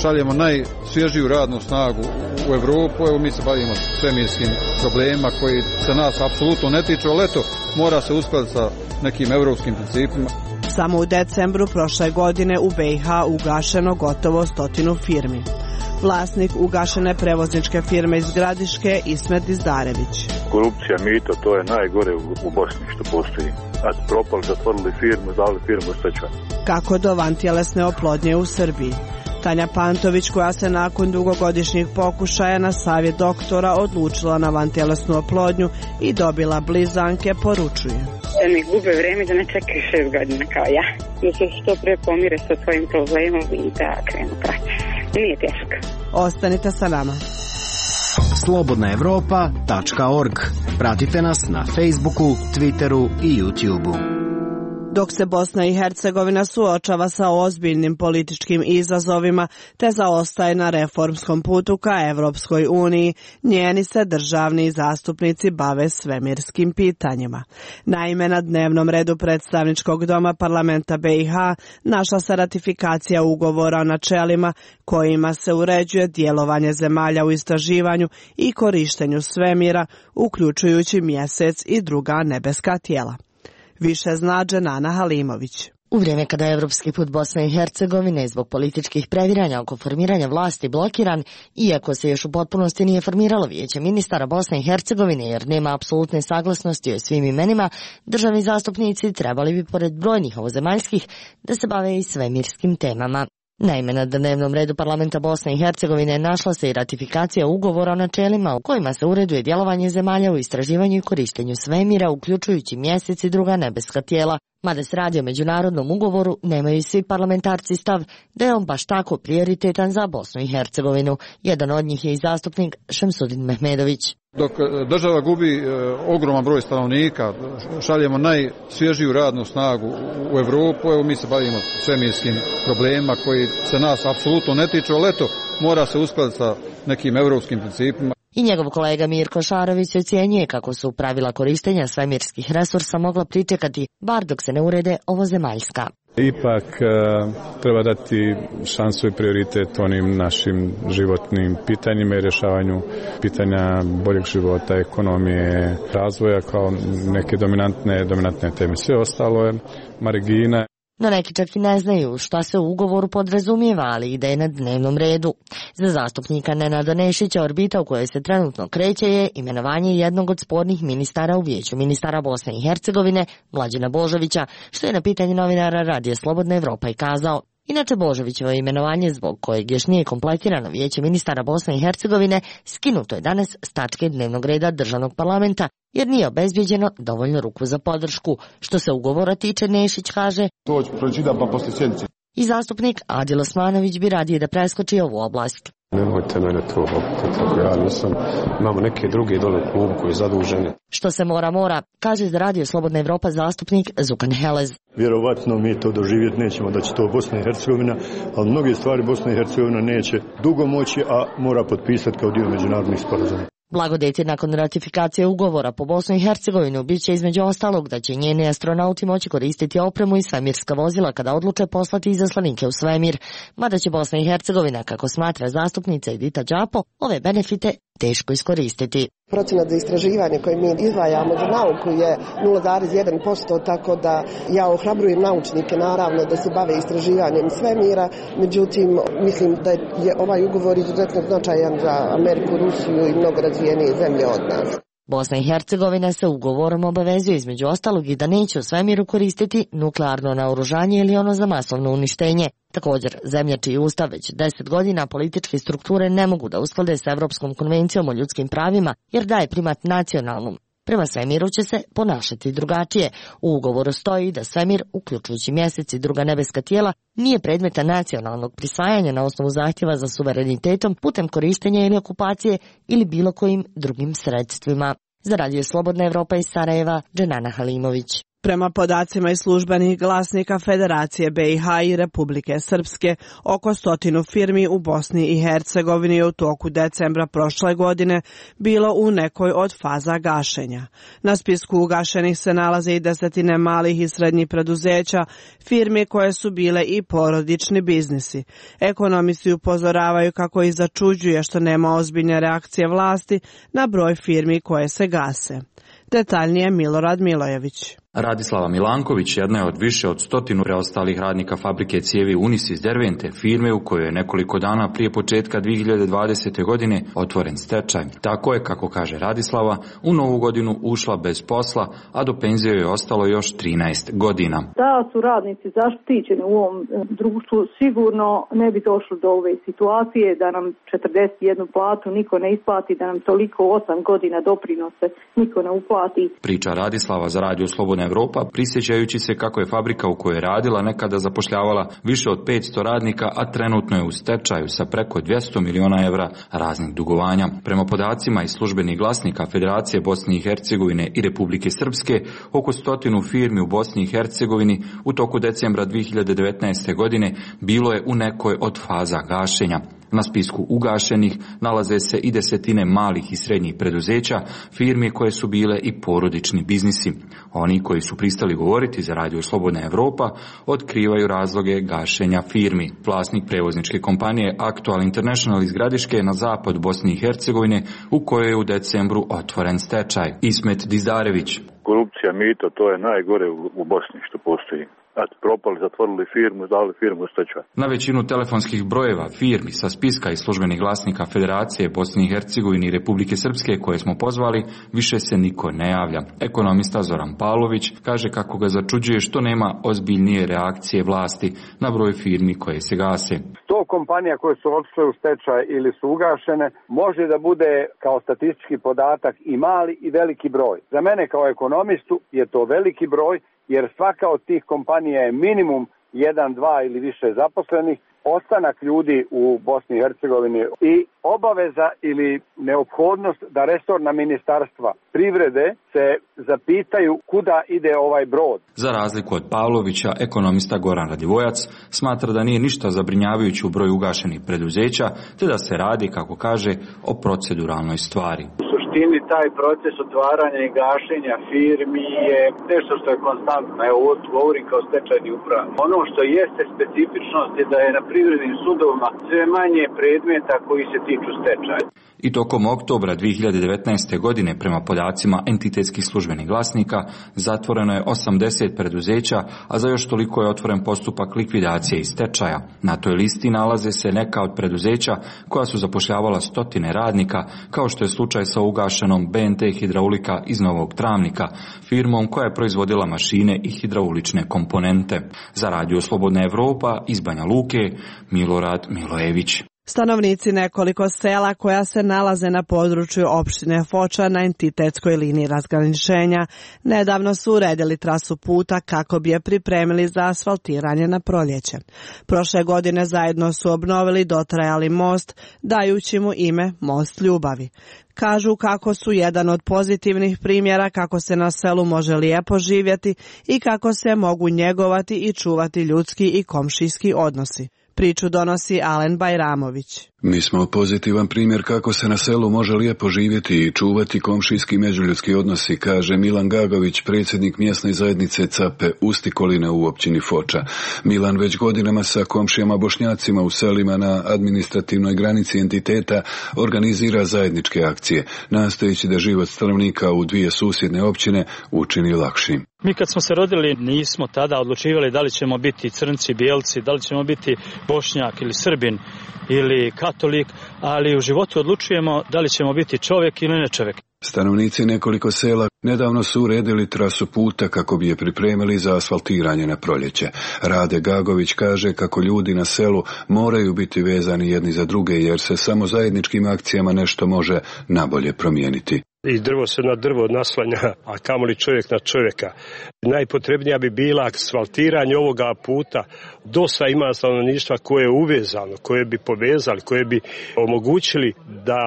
šaljemo najsvježiju radnu snagu u Evropu, evo mi se bavimo svemirskim problemima koji se nas apsolutno ne tiču, ali eto, mora se uskladiti sa nekim evropskim principima. Samo u decembru prošle godine u BiH ugašeno gotovo 100 firmi. Vlasnik ugašene prevozničke firme iz Gradiške, Ismet Dizdarević. Korupcija, mito, to je najgore u Bosni što postoji. A propali, zatvorili firmu, dali firmu u stečaj. Kako do vantjelesne oplodnje u Srbiji? Tanja Pantović, koja se nakon dugogodišnjih pokušaja na savjet doktora odlučila na vantjelesnu oplodnju i dobila blizanke, poručuje: da ne gube vreme, da ne čekaju 6 godina kao ja. Da se što pre pomire sa svojim problemom i da krenu proces. Nije teško. Ostanite sa nama. slobodnaevropa.org. Pratite nas na Facebooku, Twitteru i YouTubeu. Dok se Bosna i Hercegovina suočava sa ozbiljnim političkim izazovima te zaostaje na reformskom putu ka Evropskoj uniji, njeni se državni zastupnici bave svemirskim pitanjima. Naime, na dnevnom redu predstavničkog doma parlamenta BiH našla se ratifikacija ugovora o načelima kojima se uređuje djelovanje zemalja u istraživanju i korištenju svemira, uključujući Mjesec i druga nebeska tijela. Više zna Dženana Halimović. U vrijeme kada je evropski put Bosne i Hercegovine zbog političkih previranja oko formiranja vlasti blokiran, iako se još u potpunosti nije formiralo vijeće ministara Bosne i Hercegovine jer nema apsolutne saglasnosti o svim imenima, državni zastupnici trebali bi pored brojnih ovozemaljskih da se bave i svemirskim temama. Naime, na dnevnom redu parlamenta Bosne i Hercegovine našla se i ratifikacija ugovora o načelima u kojima se uređuje djelovanje zemalja u istraživanju i korištenju svemira, uključujući Mjesec i druga nebeska tijela. Mada se radi o međunarodnom ugovoru, nemaju svi parlamentarci stav da je on baš tako prioritetan za Bosnu i Hercegovinu. Jedan od njih je i zastupnik Šemsudin Mehmedović. Dok država gubi ogroman broj stanovnika, šaljemo najsvježiju radnu snagu u Evropu, evo mi se bavimo svemirskim problemima koji se nas apsolutno ne tiču, ali eto, mora se uskladiti sa nekim evropskim principima. I njegov kolega Mirko Šarović ocjenjuje kako su pravila korištenja svemirskih resursa mogla pričekati, bar dok se ne urede ovozemaljska. Ipak treba dati šansu i prioritet onim našim životnim pitanjima i rješavanju pitanja boljeg života, ekonomije, razvoja kao neke dominantne teme. Sve ostalo je margina. No neki čak i ne znaju šta se u ugovoru podrazumijeva, ali ide na dnevnom redu. Za zastupnika Nenada Nešića orbita u kojoj se trenutno kreće je imenovanje jednog od spornih ministara u vijeću ministara Bosne i Hercegovine, Mlađana Božovića, što je na pitanje novinara Radija Slobodna Evropa i kazao. Inače, Božovićevo imenovanje, zbog kojeg još nije kompletirano vijeće ministara Bosne i Hercegovine, skinuto je danas s tačke dnevnog reda državnog parlamenta, jer nije obezbijeđeno dovoljno ruku za podršku. Što se ugovora tiče, Nešić kaže: to ću pročitam pa poslije sjednice. I zastupnik Adil Osmanović bi radije da preskoči ovu oblast. Nemojte mene tu opitati, ako ja nisam, imamo neke druge dole u klubu koji je zaduženi. Što se mora, kaže za Radio Slobodna Evropa zastupnik Zukan Helez. Vjerovatno mi to doživjeti nećemo da će to Bosna i Hercegovina, ali mnoge stvari Bosna i Hercegovina neće dugo moći, a mora potpisati kao dio međunarodnih sporazuma. Blagodeti nakon ratifikacije ugovora po Bosnu i Hercegovinu bit će između ostalog da će njeni astronauti moći koristiti opremu i svemirska vozila kada odluče poslati izaslanike u svemir, mada će Bosna i Hercegovina, kako smatra zastupnica Edita Đapo, ove benefite teško iskoristiti. Procenat za istraživanje koje mi izdvajamo za nauku je 0,1%, tako da ja ohrabrujem naučnike naravno da se bave istraživanjem svemira, međutim mislim da je ovaj ugovor izuzetno značajan za Ameriku, Rusiju i mnogo razvijenije zemlje od nas. Bosna i Hercegovina se ugovorom obavezuje između ostalog i da neće u svemiru koristiti nuklearno naoružanje ili ono za masovno uništenje. Također, zemlja čiji ustav već 10 godina političke strukture ne mogu da usklade s Evropskom konvencijom o ljudskim pravima jer daje primat nacionalnom. Prema svemiru će se ponašati drugačije. U ugovoru stoji da svemir, uključujući mjesec i druga nebeska tijela, nije predmeta nacionalnog prisvajanja na osnovu zahtjeva za suverenitetom putem korištenja ili okupacije ili bilo kojim drugim sredstvima. Za Radio Slobodna Evropa iz Sarajeva, Dženana Halimović. Prema podacima iz službenih glasnika Federacije BiH i Republike Srpske, oko 100 firmi u Bosni i Hercegovini je u toku decembra prošle godine bilo u nekoj od faza gašenja. Na spisku ugašenih se nalaze i desetine malih i srednjih preduzeća, firmi koje su bile i porodični biznisi. Ekonomisti upozoravaju kako ih začuđuje što nema ozbiljne reakcije vlasti na broj firmi koje se gase. Detaljnije Milorad Milojević. Radislava Milanković jedna je od više od 100 preostalih radnika fabrike cijevi Unis iz Dervente, firme u kojoj je nekoliko dana prije početka 2020. godine otvoren stečaj. Tako je, kako kaže Radislava, u novu godinu ušla bez posla, a do penzije je ostalo još 13 godina. Da su radnici zaštićeni u ovom društvu, sigurno ne bi došlo do ove situacije da nam 41 platu niko ne isplati, da nam toliko 8 godina doprinose niko ne uplati. Priča Radislava za Radio Slobodna Evropa, prisjećajući se kako je fabrika u kojoj je radila nekada zapošljavala više od 500 radnika, a trenutno je u stečaju sa preko 200 miliona evra raznih dugovanja. Prema podacima iz službenih glasnika Federacije Bosne i Hercegovine i Republike Srpske, oko 100 firmi u Bosni i Hercegovini u toku decembra 2019. godine bilo je u nekoj od faza gašenja. Na spisku ugašenih nalaze se i desetine malih i srednjih preduzeća, firmi koje su bile i porodični biznisi. Oni koji su pristali govoriti za Radio Slobodna Evropa otkrivaju razloge gašenja firmi. Vlasnik prevozničke kompanije Aktual International iz Gradiške na zapad Bosne i Hercegovine, u kojoj je u decembru otvoren stečaj. Ismet Dizdarević. Korupcija, mito, to je najgore u Bosni što postoji. Propali, zatvorili firmu, dali firmu u stečaj. Na većinu telefonskih brojeva firmi sa spiska i službenih glasnika Federacije Bosne i Hercegovine i Republike Srpske koje smo pozvali, više se niko ne javlja. Ekonomista Zoran Pavlović kaže kako ga začuđuje što nema ozbiljnije reakcije vlasti na broj firmi koje se gase. 100 kompanija koje su otišle u stečaj ili su ugašene može da bude kao statistički podatak i mali i veliki broj. Za mene kao ekonomistu je to veliki broj, jer svaka od tih kompanija je minimum 1, 2 ili više zaposlenih, ostanak ljudi u Bosni i Hercegovini i obaveza ili neophodnost da resorna ministarstva privrede se zapitaju kuda ide ovaj brod. Za razliku od Pavlovića, ekonomista Goran Radivojac smatra da nije ništa zabrinjavajući u broju ugašenih preduzeća, te da se radi, kako kaže, o proceduralnoj stvari. Taj proces otvaranja i gašenja firmi je nešto što je konstantno. Evo, govorim kao stečajni upravnik. Ono što jeste specifičnost je da je na privrednim sudovima sve manje predmeta koji se tiču stečaja. I tokom oktobra 2019. godine, prema podacima entitetskih službenih glasnika, zatvoreno je 80 preduzeća, a za još toliko je otvoren postupak likvidacije i stečaja. Na toj listi nalaze se neka od preduzeća koja su zapošljavala stotine radnika, kao što je slučaj sa ugašenom BNT Hidraulika iz Novog Travnika, firmom koja je proizvodila mašine i hidraulične komponente. Za Radio Slobodna Evropa iz Banja Luke, Milorad Milojević. Stanovnici nekoliko sela koja se nalaze na području opštine Foča na entitetskoj liniji razgraničenja nedavno su uredili trasu puta kako bi je pripremili za asfaltiranje na proljeće. Prošle godine zajedno su obnovili dotrajali most, dajući mu ime Most ljubavi. Kažu kako su jedan od pozitivnih primjera kako se na selu može lijepo živjeti i kako se mogu njegovati i čuvati ljudski i komšijski odnosi. Priču donosi Alen Bajramović. Mi smo pozitivan primjer kako se na selu može lijepo živjeti i čuvati komšijski međuljudski odnosi, kaže Milan Gagović, predsjednik mjesne zajednice Cape Ustikoline u općini Foča. Milan već godinama sa komšijama Bošnjacima u selima na administrativnoj granici entiteta organizira zajedničke akcije, nastojeći da život stanovnika u dvije susjedne općine učini lakšim. Mi kad smo se rodili nismo tada odlučivali da li ćemo biti crnci, bijelci, da li ćemo biti Bošnjak ili Srbin ili katolik, ali u životu odlučujemo da li ćemo biti čovjek ili ne čovjek. Stanovnici nekoliko sela nedavno su uredili trasu puta kako bi je pripremili za asfaltiranje na proljeće. Rade Gagović kaže kako ljudi na selu moraju biti vezani jedni za druge jer se samo zajedničkim akcijama nešto može nabolje promijeniti. I drvo se na drvo naslanja, a kamoli čovjek na čovjeka. Najpotrebnija bi bila asfaltiranje ovoga puta. Dosta ima stanovništva koje je uvezano, koje bi povezali, koje bi omogućili da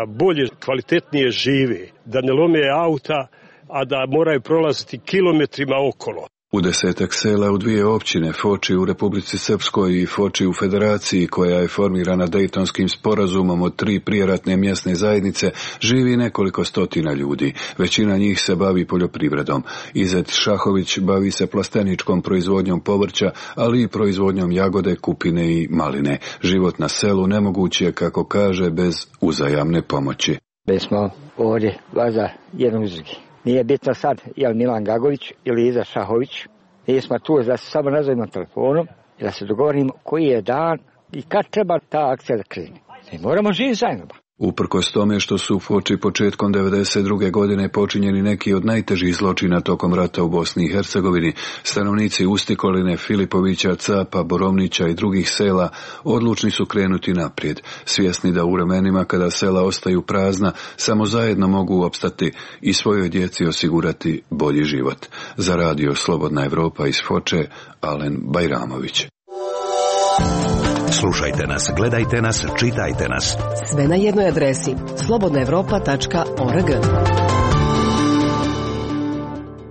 bolje, kvalitetnije žive, da ne lome auta, a da moraju prolaziti kilometrima okolo. U 10 sela u dvije općine, Foči u Republici Srpskoj i Foči u Federaciji, koja je formirana Dejtonskim sporazumom od 3 prijeratne mjesne zajednice, živi nekoliko stotina ljudi. Većina njih se bavi poljoprivredom. Izet Šahović bavi se plasteničkom proizvodnjom povrća, ali i proizvodnjom jagode, kupine i maline. Život na selu nemoguć je, kako kaže, bez uzajamne pomoći. Mi smo ovdje vaza jednog uz drugi. Nije bitno sad je li Milan Gagović ili Iza Šahović. Mi smo tu da se samo nazovimo telefonom i da se dogovorimo koji je dan i kad treba ta akcija da krene. Mi moramo živjeti zajedno. Uprkos tome što su u Foči početkom 1992. godine počinjeni neki od najtežih zločina tokom rata u Bosni i Hercegovini, stanovnici Ustikoline, Filipovića, Capa, Borovnića i drugih sela odlučni su krenuti naprijed, svjesni da u vremenima kada sela ostaju prazna, samo zajedno mogu opstati i svojoj djeci osigurati bolji život. Za radio Slobodna Evropa iz Foče, Alen Bajramović. Slušajte nas, gledajte nas, čitajte nas. Sve na jednoj adresi slobodnaevropa.org.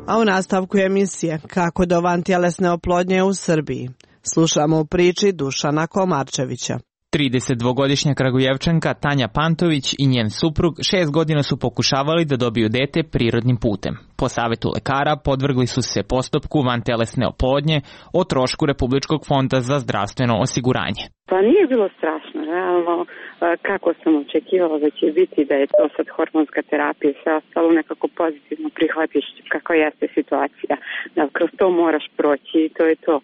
A u nastavku emisije kako do vantjelesne oplodnje u Srbiji. Slušamo u priči Dušana Komarčevića. 32-godišnja Kragujevčanka Tanja Pantović i njen suprug 6 godina su pokušavali da dobiju dete prirodnim putem. Po savjetu lekara podvrgli su se postupku vantelesne oplodnje o trošku Republičkog fonda za zdravstveno osiguranje. Pa nije bilo strašno, realno kako sam očekivala da će biti, da je to sad hormonska terapija i sve ostalo, nekako pozitivno prihvatiš kakva jeste situacija, da kroz to moraš proći i to je to.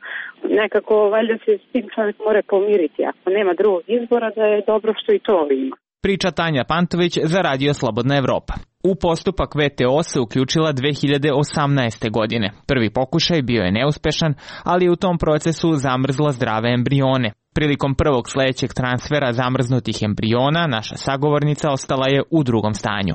Nekako valjda se s tim čovjek mora pomiriti, ako nema drugog izbora da je dobro što i to ima. Priča Tanja Pantović za radio Slobodna Evropa. U postupak VTO se uključila 2018. godine. Prvi pokušaj bio je neuspešan, ali je u tom procesu zamrzla zdrave embrione. Prilikom prvog sljedećeg transfera zamrznutih embriona, naša sagovornica ostala je u drugom stanju.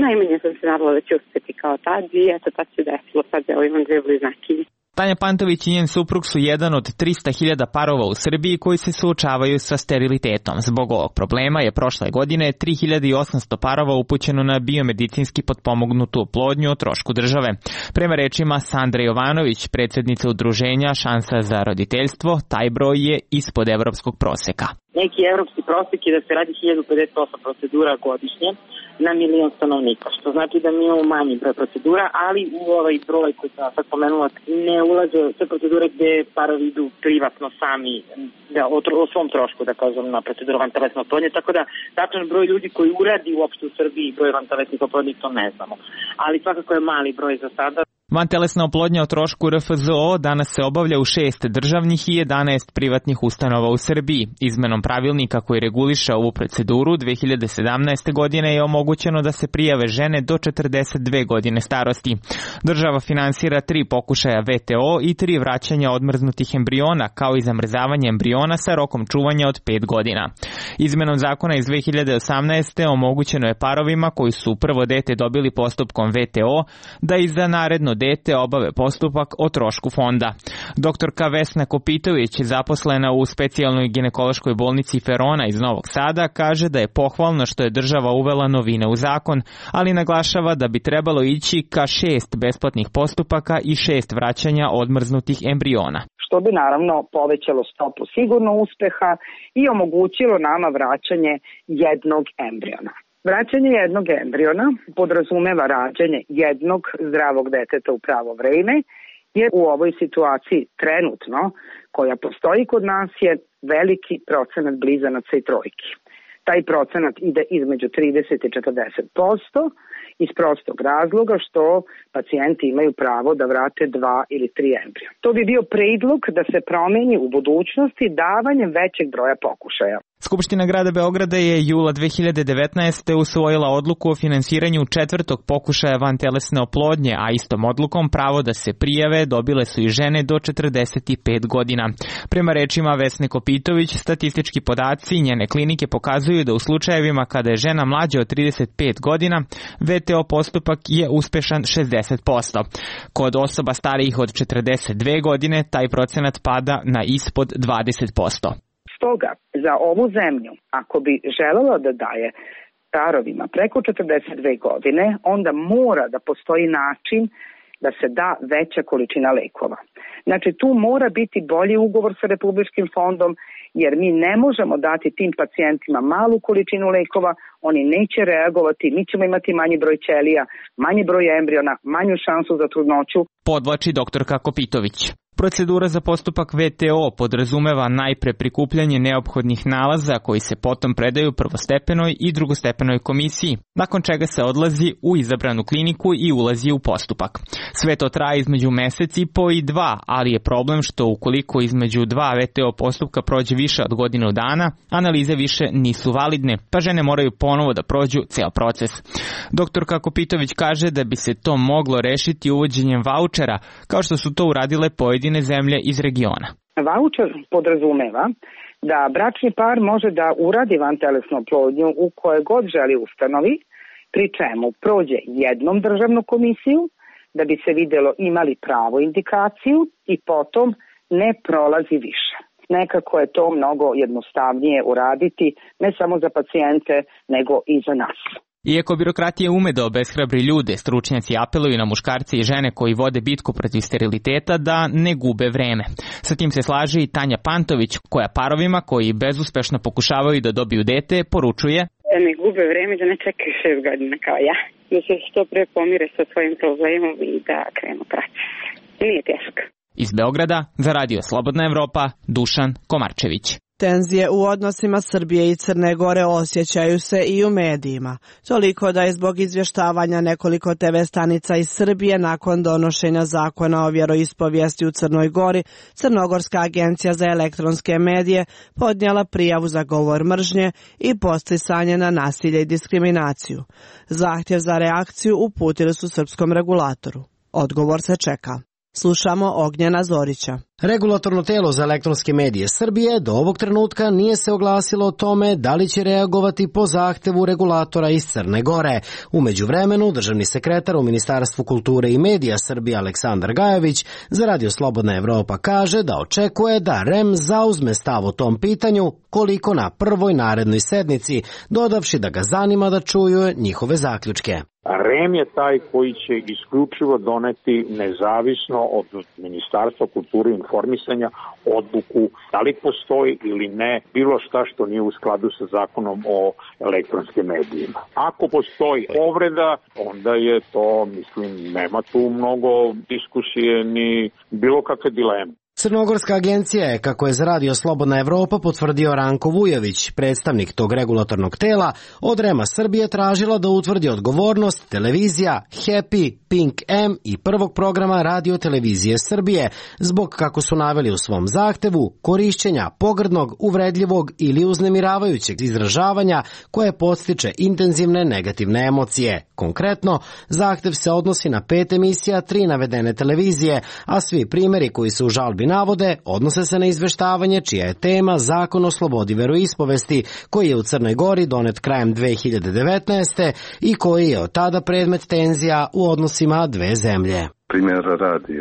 Najmanje sam se nadala da će uspjeti kao tad i eto tad se desilo, sad evo imam 2 bliznakinje. Tanja Pantović i njen suprug su jedan od 300.000 parova u Srbiji koji se suočavaju sa sterilitetom. Zbog ovog problema je prošle godine 3.800 parova upućeno na biomedicinski potpomognutu oplodnju o trošku države. Prema rečima Sandre Jovanović, predsjednice udruženja Šansa za roditeljstvo, taj broj je ispod evropskog proseka. Neki evropski prosek je da se radi 1058 procedura godišnje na milion stanovnika, što znači da mi imamo manji broj procedura, ali u ovaj broj koji sam sad pomenula ne ulaze sve procedure gde parovi idu privatno sami da, o svom trošku, da kažem, na proceduru vantelesne oplodnje, tako da tačan broj ljudi koji uradi uopšte u Srbiji broj vantelesnih oplodnji, to ne znamo. Ali svakako je mali broj za sada. Vantelesna oplodnja o trošku RFZO danas se obavlja u 6 državnih i 11 privatnih ustanova u Srbiji. Izmenom pravilnika koji reguliše ovu proceduru 2017. godine je omogućeno da se prijave žene do 42 godine starosti. Država finansira 3 pokušaja VTO i 3 vraćanja odmrznutih embriona, kao i zamrzavanje embriona sa rokom čuvanja od 5 godina. Izmenom zakona iz 2018. omogućeno je parovima koji su prvo dete dobili postupkom VTO da i za naredno dete obave postupak o trošku fonda. Doktorka Vesna Kopitović, zaposlena u specijalnoj ginekološkoj bolnici Ferona iz Novog Sada, kaže da je pohvalno što je država uvela novine u zakon, ali naglašava da bi trebalo ići ka 6 besplatnih postupaka i 6 vraćanja odmrznutih embriona. Što bi naravno povećalo stopu sigurno uspeha i omogućilo nama vraćanje jednog embriona. Vraćanje jednog embriona podrazumeva rađanje jednog zdravog deteta u pravo vreme, jer u ovoj situaciji trenutno koja postoji kod nas je veliki procenat blizanaca i trojki. Taj procenat ide između 30 i 40% iz prostog razloga što pacijenti imaju pravo da vrate 2 ili 3 embrija. To bi bio predlog da se promeni u budućnosti davanjem većeg broja pokušaja. Skupština grada Beograda je jula 2019. usvojila odluku o finansiranju 4. pokušaja vantelesne oplodnje, a istom odlukom pravo da se prijave dobile su i žene do 45 godina. Prema rečima Vesne Kopitović, statistički podaci njene klinike pokazuju da u slučajevima kada je žena mlađa od 35 godina, VTO postupak je uspešan 60%. Kod osoba starijih od 42 godine taj procenat pada na ispod 20%. Stoga, za ovu zemlju, ako bi želela da daje parovima preko 42 godine, onda mora da postoji način da se da veća količina lekova. Znači, tu mora biti bolji ugovor sa Republičkim fondom, jer mi ne možemo dati tim pacijentima malu količinu lekova, oni neće reagovati, mi ćemo imati manji broj ćelija, manji broj embriona, manju šansu za trudnoću. Podvlači doktorka Kopitović. Procedura za postupak VTO podrazumeva najpre prikupljanje neophodnih nalaza koji se potom predaju prvostepenoj i drugostepenoj komisiji, nakon čega se odlazi u izabranu kliniku i ulazi u postupak. Sve to traje između mesec i po i 2, ali je problem što ukoliko između 2 VTO postupka prođe više od godinu dana, analize više nisu validne, pa žene moraju ponovo da prođu ceo proces. Doktorka Kopitović kaže da bi se to moglo rešiti uvođenjem vaučera, kao što su to uradile pojedine zemlje iz regiona. Vaučer podrazumeva da bračni par može da uradi vantelesnu oplodnju u kojoj god želi ustanovi, pri čemu prođe jednom državnu komisiju da bi se videlo imali pravu indikaciju i potom ne prolazi više. Nekako je to mnogo jednostavnije uraditi ne samo za pacijente nego i za nas. Iako birokratija ume da obeshrabri ljude, stručnjaci apeluju na muškarce i žene koji vode bitku protiv steriliteta da ne gube vreme. Sa tim se slaže i Tanja Pantović, koja parovima koji bezuspešno pokušavaju da dobiju dete poručuje: Da ne gube vreme, da ne čekaju 6 godina kao ja. Da se što pre pomire sa svojim problemom i da krenu proces. Nije teško. Iz Beograda, za Radio Slobodna Evropa, Dušan Komarčević. Tenzije u odnosima Srbije i Crne Gore osjećaju se i u medijima. Toliko da je zbog izvještavanja nekoliko TV stanica iz Srbije nakon donošenja zakona o vjeroispovijesti u Crnoj Gori, Crnogorska agencija za elektronske medije podnijela prijavu za govor mržnje i podsticanje na nasilje i diskriminaciju. Zahtjev za reakciju uputili su srpskom regulatoru. Odgovor se čeka. Slušamo Ognjena Zorića. Regulatorno telo za elektronske medije Srbije do ovog trenutka nije se oglasilo o tome da li će reagovati po zahtevu regulatora iz Crne Gore. U međuvremenu, državni sekretar u Ministarstvu kulture i medija Srbije Aleksandar Gajović za Radio Slobodna Evropa kaže da očekuje da REM zauzme stav o tom pitanju koliko na prvoj narednoj sednici, dodavši da ga zanima da čuju njihove zaključke. REM je taj koji će isključivo doneti nezavisno od Ministarstva kulture i informisanja odluku da li postoji ili ne bilo šta što nije u skladu sa zakonom o elektronskim medijima. Ako postoji povreda, onda je to, mislim, nema tu mnogo diskusije ni bilo kakve dileme. Crnogorska agencija je, kako je za Radio Slobodna Evropa potvrdio Ranko Vujović, predstavnik tog regulatornog tela, od REM-a Srbije tražila da utvrdi odgovornost televizija Happy, Pink M i prvog programa Radio televizije Srbije zbog, kako su naveli u svom zahtevu, korišćenja pogrdnog, uvredljivog ili uznemiravajućeg izražavanja koje podstiče intenzivne negativne emocije. Konkretno, zahtev se odnosi na 5 emisija 3 navedene televizije, a svi primjeri koji se u žalbi navode odnose se na izveštavanje čija je tema Zakon o slobodi veroispovesti, koji je u Crnoj Gori donet krajem 2019. i koji je od tada predmet tenzija u odnosima dve zemlje. Primjer radi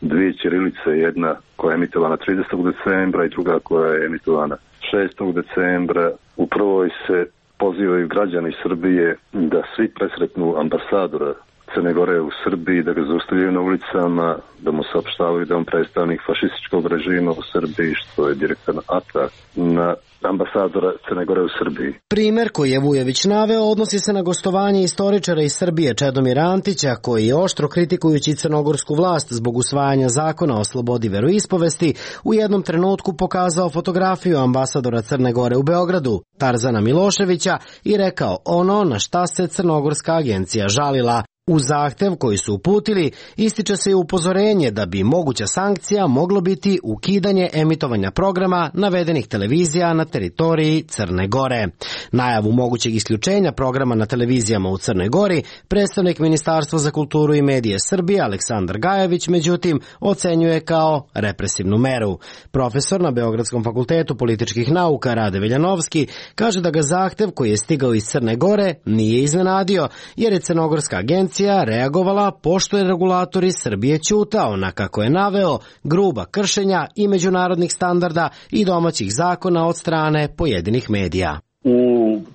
dvije ćirilice, jedna koja je emitovana 30. decembra i druga koja je emitovana 6. decembra. U prvoj se pozivaju građani Srbije da svi presretnu ambasadora Crne Gore u Srbiji, da ga zaustavljaju na ulicama, da mu saopštavaju da on predstavnik fašističkog režima u Srbiji, što je direktan atak na ambasadora Crne Gore u Srbiji. Primer koji je Vujović naveo odnosi se na gostovanje istoričara iz Srbije Čedomira Antića, koji je oštro kritikujući crnogorsku vlast zbog usvajanja zakona o slobodi veroispovesti u jednom trenutku pokazao fotografiju ambasadora Crne Gore u Beogradu, Tarzana Miloševića, i rekao ono na šta se Crnogorska agencija žalila. U zahtev koji su uputili ističe se i upozorenje da bi moguća sankcija moglo biti ukidanje emitovanja programa navedenih televizija na teritoriji Crne Gore. Najavu mogućeg isključenja programa na televizijama u Crnoj Gori predstavnik Ministarstva za kulturu i medije Srbije Aleksandar Gajević međutim ocenjuje kao represivnu meru. Profesor na Beogradskom fakultetu političkih nauka Rade Veljanovski kaže da ga zahtev koji je stigao iz Crne Gore nije iznenadio jer je Crnogorska agencija reagovala pošto je regulatori Srbije ćutao na, kako je naveo, gruba kršenja i međunarodnih standarda i domaćih zakona od strane pojedinih medija. U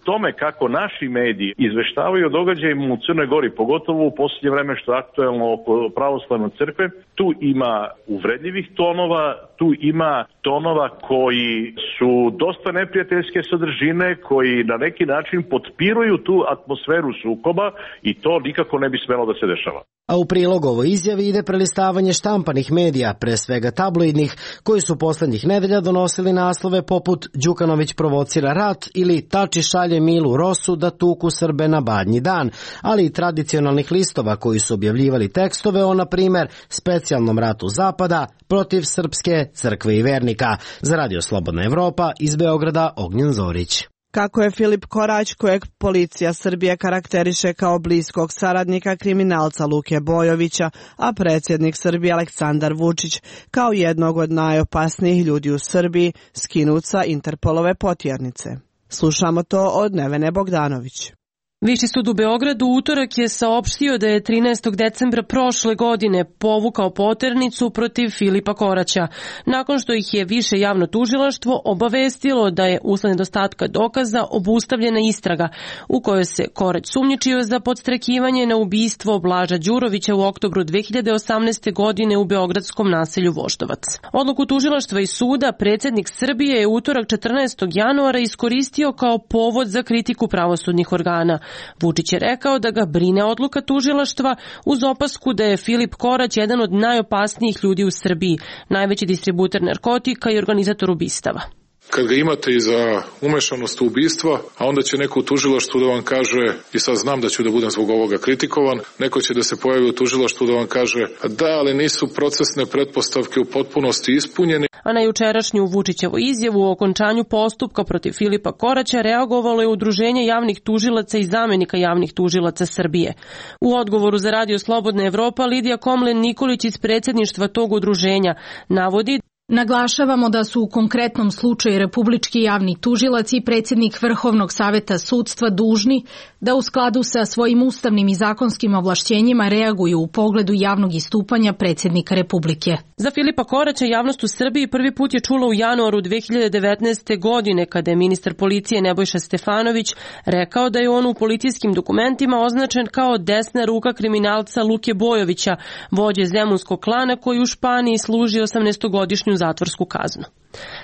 tome kako naši mediji izveštavaju o događajima u Crnoj Gori, pogotovo u posljednje vreme što je aktuelno oko pravoslavne crkve, tu ima uvredljivih tonova, tu ima tonova koji su dosta neprijateljske sadržine, koji na neki način potpiruju tu atmosferu sukoba i to nikako ne bi smelo da se dešava. A u prilog ovoj izjavi ide prelistavanje štampanih medija, pre svega tabloidnih, koji su poslednjih nedelja donosili naslove poput Đukanović provocira rat ili Tači šalje Milu Rosu da tuku Srbe na Badnji dan, ali i tradicionalnih listova koji su objavljivali tekstove o, na primer, specijalnom ratu Zapada protiv Srpske crkve i vernika. Za Radio Slobodna Evropa iz Beograda Ognjen Zorić. Kako je Filip Korać, kojeg policija Srbije karakteriše kao bliskog saradnika kriminalca Luke Bojovića, a predsjednik Srbije Aleksandar Vučić kao jednog od najopasnijih ljudi u Srbiji, skinut sa Interpolove potjernice. Slušamo to od Nevene Bogdanović. Viši sud u Beogradu utorak je saopštio da je 13. decembra prošle godine povukao poternicu protiv Filipa Koraća, nakon što ih je više javno tužilaštvo obavestilo da je usled nedostatka dokaza obustavljena istraga u kojoj se Korać sumnjičio za podstrekivanje na ubistvo Blaža Đurovića u oktobru 2018. godine u beogradskom naselju Voždovac. Odluku tužilaštva i suda predsjednik Srbije je utorak 14. januara iskoristio kao povod za kritiku pravosudnih organa. Vučić je rekao da ga brine odluka tužilaštva uz opasku da je Filip Korać jedan od najopasnijih ljudi u Srbiji, najveći distributer narkotika i organizator ubistava. Kad ga imate i za umešanost u ubistva, a onda će neko u tužilaštvu da vam kaže, i sad znam da ću da budem zbog ovoga kritikovan, neko će da se pojavi u tužilaštvu da vam kaže da, ali nisu procesne pretpostavke u potpunosti ispunjene. A na jučerašnju Vučićevu izjavu o okončanju postupka protiv Filipa Koraća reagovalo je Udruženje javnih tužilaca i zamenika javnih tužilaca Srbije. U odgovoru za Radio Slobodna Evropa Lidija Komlen Nikolić iz predsjedništva tog udruženja navodi: Naglašavamo da su u konkretnom slučaju Republički javni tužilac i predsjednik Vrhovnog saveta sudstva dužni da u skladu sa svojim ustavnim i zakonskim ovlašćenjima reaguju u pogledu javnog istupanja predsjednika Republike. Za Filipa Koraća javnost u Srbiji prvi put je čula u januaru 2019. godine kada je ministar policije Nebojša Stefanović rekao da je on u policijskim dokumentima označen kao desna ruka kriminalca Luke Bojovića, vođe zemunskog klana koji u Španiji služi 18-godišnju zatvorsku kaznu.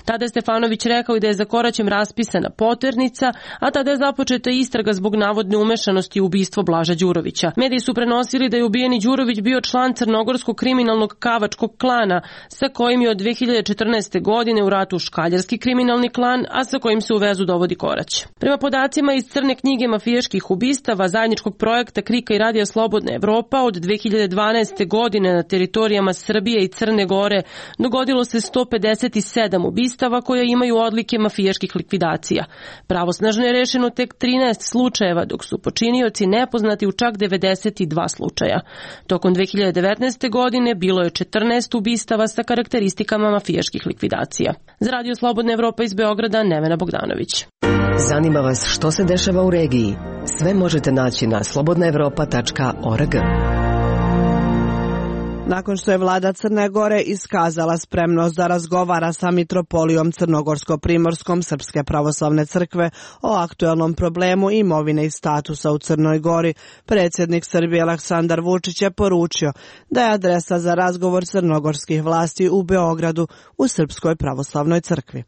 Tada je Stefanović rekao i da je za Koraćem raspisana poternica, a tada je započeta istraga zbog navodne umešanosti u ubistvo Blaža Đurovića. Mediji su prenosili da je ubijeni Đurović bio član crnogorskog kriminalnog Kavačkog klana, sa kojim je od 2014. godine u ratu Škaljarski kriminalni klan, a sa kojim se u vezu dovodi Korać. Prema podacima iz crne knjige mafijaških ubistava zajedničkog projekta KRIK-a i Radija Slobodna Evropa, od 2012. godine na teritorijama Srbije i Crne Gore dogodilo se 157 ubistava koja imaju odlike mafijaških likvidacija. Pravosnažno je rešeno tek 13 slučajeva, dok su počinioci nepoznati u čak 92 slučaja. Tokom 2019. godine bilo je 14 ubistava sa karakteristikama mafijaških likvidacija. Za Radio Slobodna Evropa iz Beograda, Nevena Bogdanović. Zanima vas što se dešava u regiji? Sve možete naći na slobodnaevropa.org. Nakon što je vlada Crne Gore iskazala spremnost da razgovara sa mitropolijom Crnogorsko-Primorskom Srpske pravoslavne crkve o aktuelnom problemu imovine i statusa u Crnoj Gori, predsjednik Srbije Aleksandar Vučić je poručio da je adresa za razgovor crnogorskih vlasti u Beogradu u Srpskoj pravoslavnoj crkvi.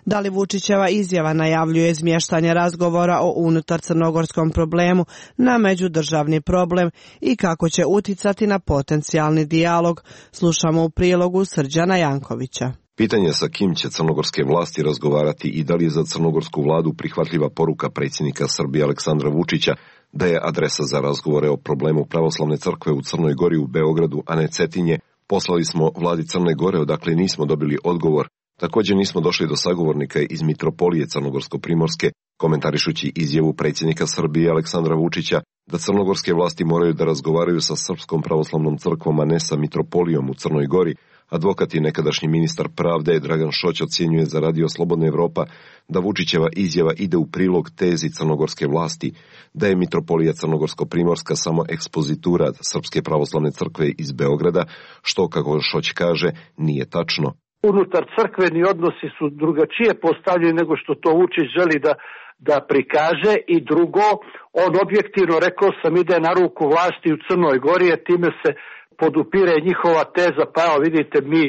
Da li Vučićeva izjava najavljuje izmještanje razgovora o unutar crnogorskom problemu na međudržavni problem i kako će uticati na potencijalni dijalog, slušamo u prilogu Srđana Jankovića. Pitanje sa kim će crnogorske vlasti razgovarati i da li je za crnogorsku vladu prihvatljiva poruka predsjednika Srbije Aleksandra Vučića da je adresa za razgovore o problemu pravoslavne crkve u Crnoj Gori u Beogradu, a ne Cetinje, poslali smo vladi Crne Gore odakle nismo dobili odgovor. Također nismo došli do sagovornika iz mitropolije Crnogorsko-Primorske, komentarišući izjavu predsjednika Srbije Aleksandra Vučića da crnogorske vlasti moraju da razgovaraju sa Srpskom pravoslavnom crkvom, a ne sa mitropolijom u Crnoj Gori. Advokat i nekadašnji ministar pravde Dragan Šoć ocjenjuje za Radio Slobodna Evropa da Vučićeva izjava ide u prilog tezi crnogorske vlasti, da je mitropolija Crnogorsko-Primorska samo ekspozitura Srpske pravoslavne crkve iz Beograda, što, kako Šoć kaže, nije tačno. Unutar crkveni odnosi su drugačije postavljeni nego što to Vučić želi da prikaže, i drugo, on objektivno, rekao sam, ide na ruku vlasti u Crnoj Gori, jer time se podupire njihova teza, pa evo vidite, mi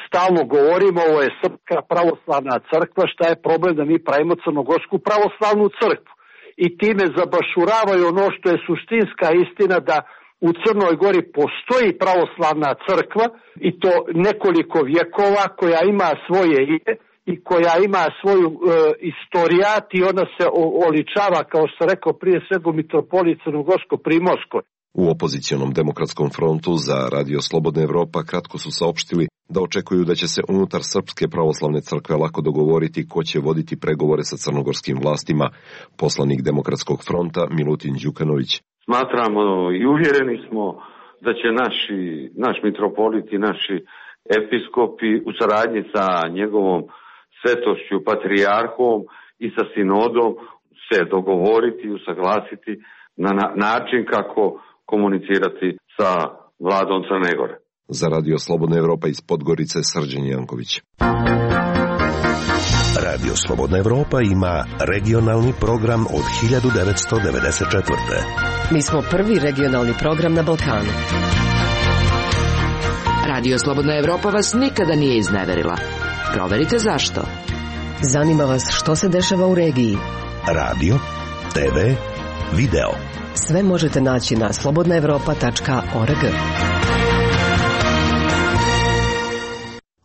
stalno govorimo, ovo je Srpska pravoslavna crkva, šta je problem da mi pravimo Crnogorsku pravoslavnu crkvu, i time zabašuravaju ono što je suštinska istina, da u Crnoj Gori postoji pravoslavna crkva, i to nekoliko vjekova, koja ima svoje ime i koja ima svoju istorijat, i ona se oličava, kao što sam rekao, prije svega u mitropoliji Crnogorsko-Primorskoj. U opozicionom demokratskom frontu za Radio Slobodna Evropa kratko su saopštili da očekuju da će se unutar Srpske pravoslavne crkve lako dogovoriti ko će voditi pregovore sa crnogorskim vlastima. Poslanik Demokratskog fronta Milutin Đukanović. Smatramo i uvjereni smo da će naš mitropolit i naši episkopi u saradnji sa njegovom svetošću patrijarhom i sa sinodom se dogovoriti i usaglasiti na način kako komunicirati sa vladom Crne Gore. Za Radio Slobodna Evropa iz Podgorice, Srđan Janković. Radio Slobodna Evropa ima regionalni program od 1994. Mi smo prvi regionalni program na Balkanu. Radio Slobodna Evropa vas nikada nije izneverila. Proverite zašto. Zanima vas što se dešava u regiji. Radio, TV, video. Sve možete naći na slobodnaevropa.org.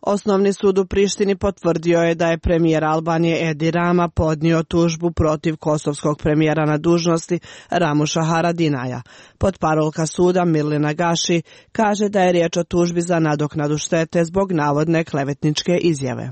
Osnovni sud u Prištini potvrdio je da je premijer Albanije Edi Rama podnio tužbu protiv kosovskog premijera na dužnosti Ramuša Haradinaja. Potparolka suda Mirlina Gaši kaže da je riječ o tužbi za nadoknadu štete zbog navodne klevetničke izjave.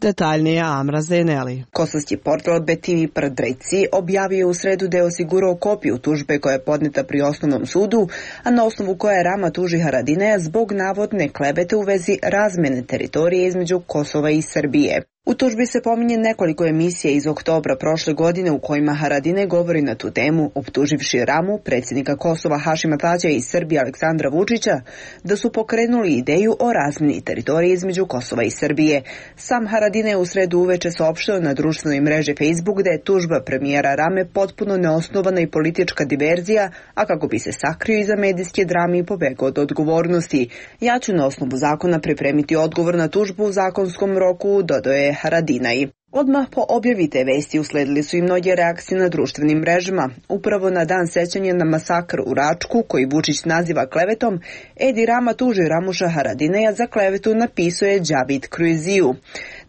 Detaljnije Amra Zeneli. Kosovski portal BTV Prdreci objavio je u sredu da je osigurao kopiju tužbe koja je podneta pri osnovnom sudu, a na osnovu koje Rama tuži Haradinaja zbog navodne klevete u vezi razmjene teritorije između Kosova i Srbije. U tužbi se pominje nekoliko emisija iz oktobra prošle godine u kojima Haradinaj govori na tu temu, optuživši Ramu, predsjednika Kosova Hašima Tađija i Srbije Aleksandra Vučića, da su pokrenuli ideju o razmjeni teritorije između Kosova i Srbije. Sam Haradinaj u sredu uveče saopštio na društvenoj mreži Facebook da je tužba premijera Rame potpuno neosnovana i politička diverzija, a kako bi se sakrio iza medijske drame i pobegao od odgovornosti. Ja ću na osnovu zakona pripremiti odgovor na tužbu u zakonskom roku, dodao je Haradinaj. Odmah po objavi te vesti usledili su i mnoge reakcije na društvenim mrežama. Upravo na dan sećanja na masakr u Račku, koji Vučić naziva klevetom, Edi Rama tuži Ramuša Haradinaja za klevetu, napisao je Đavid Kruiziju.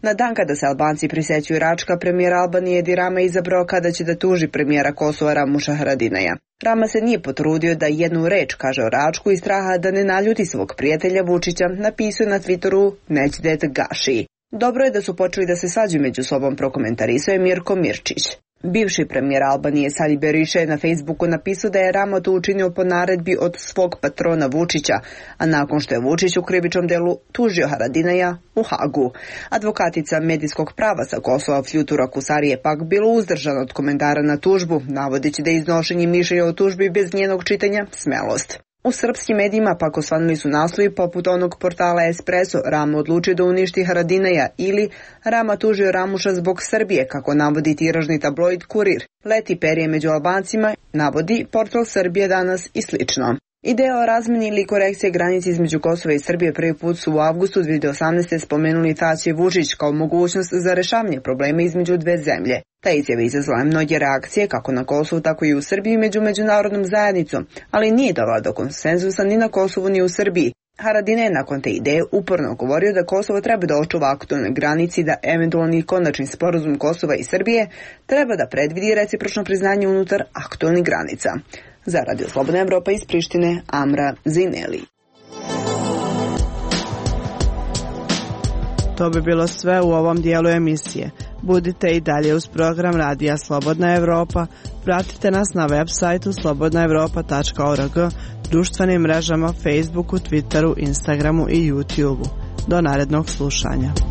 Na dan kada se Albanci prisećuju Račka, premijer Albanije Edi Rama izabrao kada će da tuži premijera Kosova Ramuša Haradinaja. Rama se nije potrudio da jednu reč kaže o Račku iz straha da ne naljuti svog prijatelja Vučića, napisao na Twitteru Nećdet Gaši. Dobro je da su počeli da se svađaju među sobom, prokomentarisao je Mirko Mirčić. Bivši premijer Albanije Sali Berisha je na Facebooku napisao da je Rama to učinio po naredbi od svog patrona Vučića, a nakon što je Vučić u krivičnom delu tužio Haradinaja u Hagu. Advokatica medijskog prava sa Kosova Fjutura Kusari je pak bilo uzdržana od komentara na tužbu, navodeći da je iznošenje mišljenja o tužbi bez njenog čitanja smelost. U srpskim medijima pak osvanuli su naslovi poput onog portala Espresso, Rama odlučio da uništi Haradinaja ili Rama tužio Ramuša zbog Srbije, kako navodi tiražni tabloid Kurir. Leti perje među Albancima, navodi portal Srbije danas i slično. Ideja o razmeni ili korekcije granice između Kosova i Srbije prvi put su u avgustu 2018. spomenuli Tači i Vučić kao mogućnost za rešavanje problema između dve zemlje. Ta izjava izazvala mnoge reakcije kako na Kosovu, tako i u Srbiji među međunarodnom zajednicom, ali nije dovela do konsenzusa ni na Kosovu ni u Srbiji. Haradinaj je nakon te ideje uporno govorio da Kosovo treba da očuva aktualne granici, da eventualni konačni sporazum Kosova i Srbije treba da predvidi recipročno priznanje unutar aktualnih granica. Za Radio Slobodna Evropa iz Prištine, Amra Zineli. To bi bilo sve u ovom dijelu emisije. Budite i dalje uz program Radija Slobodna Evropa. Pratite nas na web sajtu slobodnaevropa.org, društvenim mrežama Facebooku, Twitteru, Instagramu i YouTubeu. Do narednog slušanja.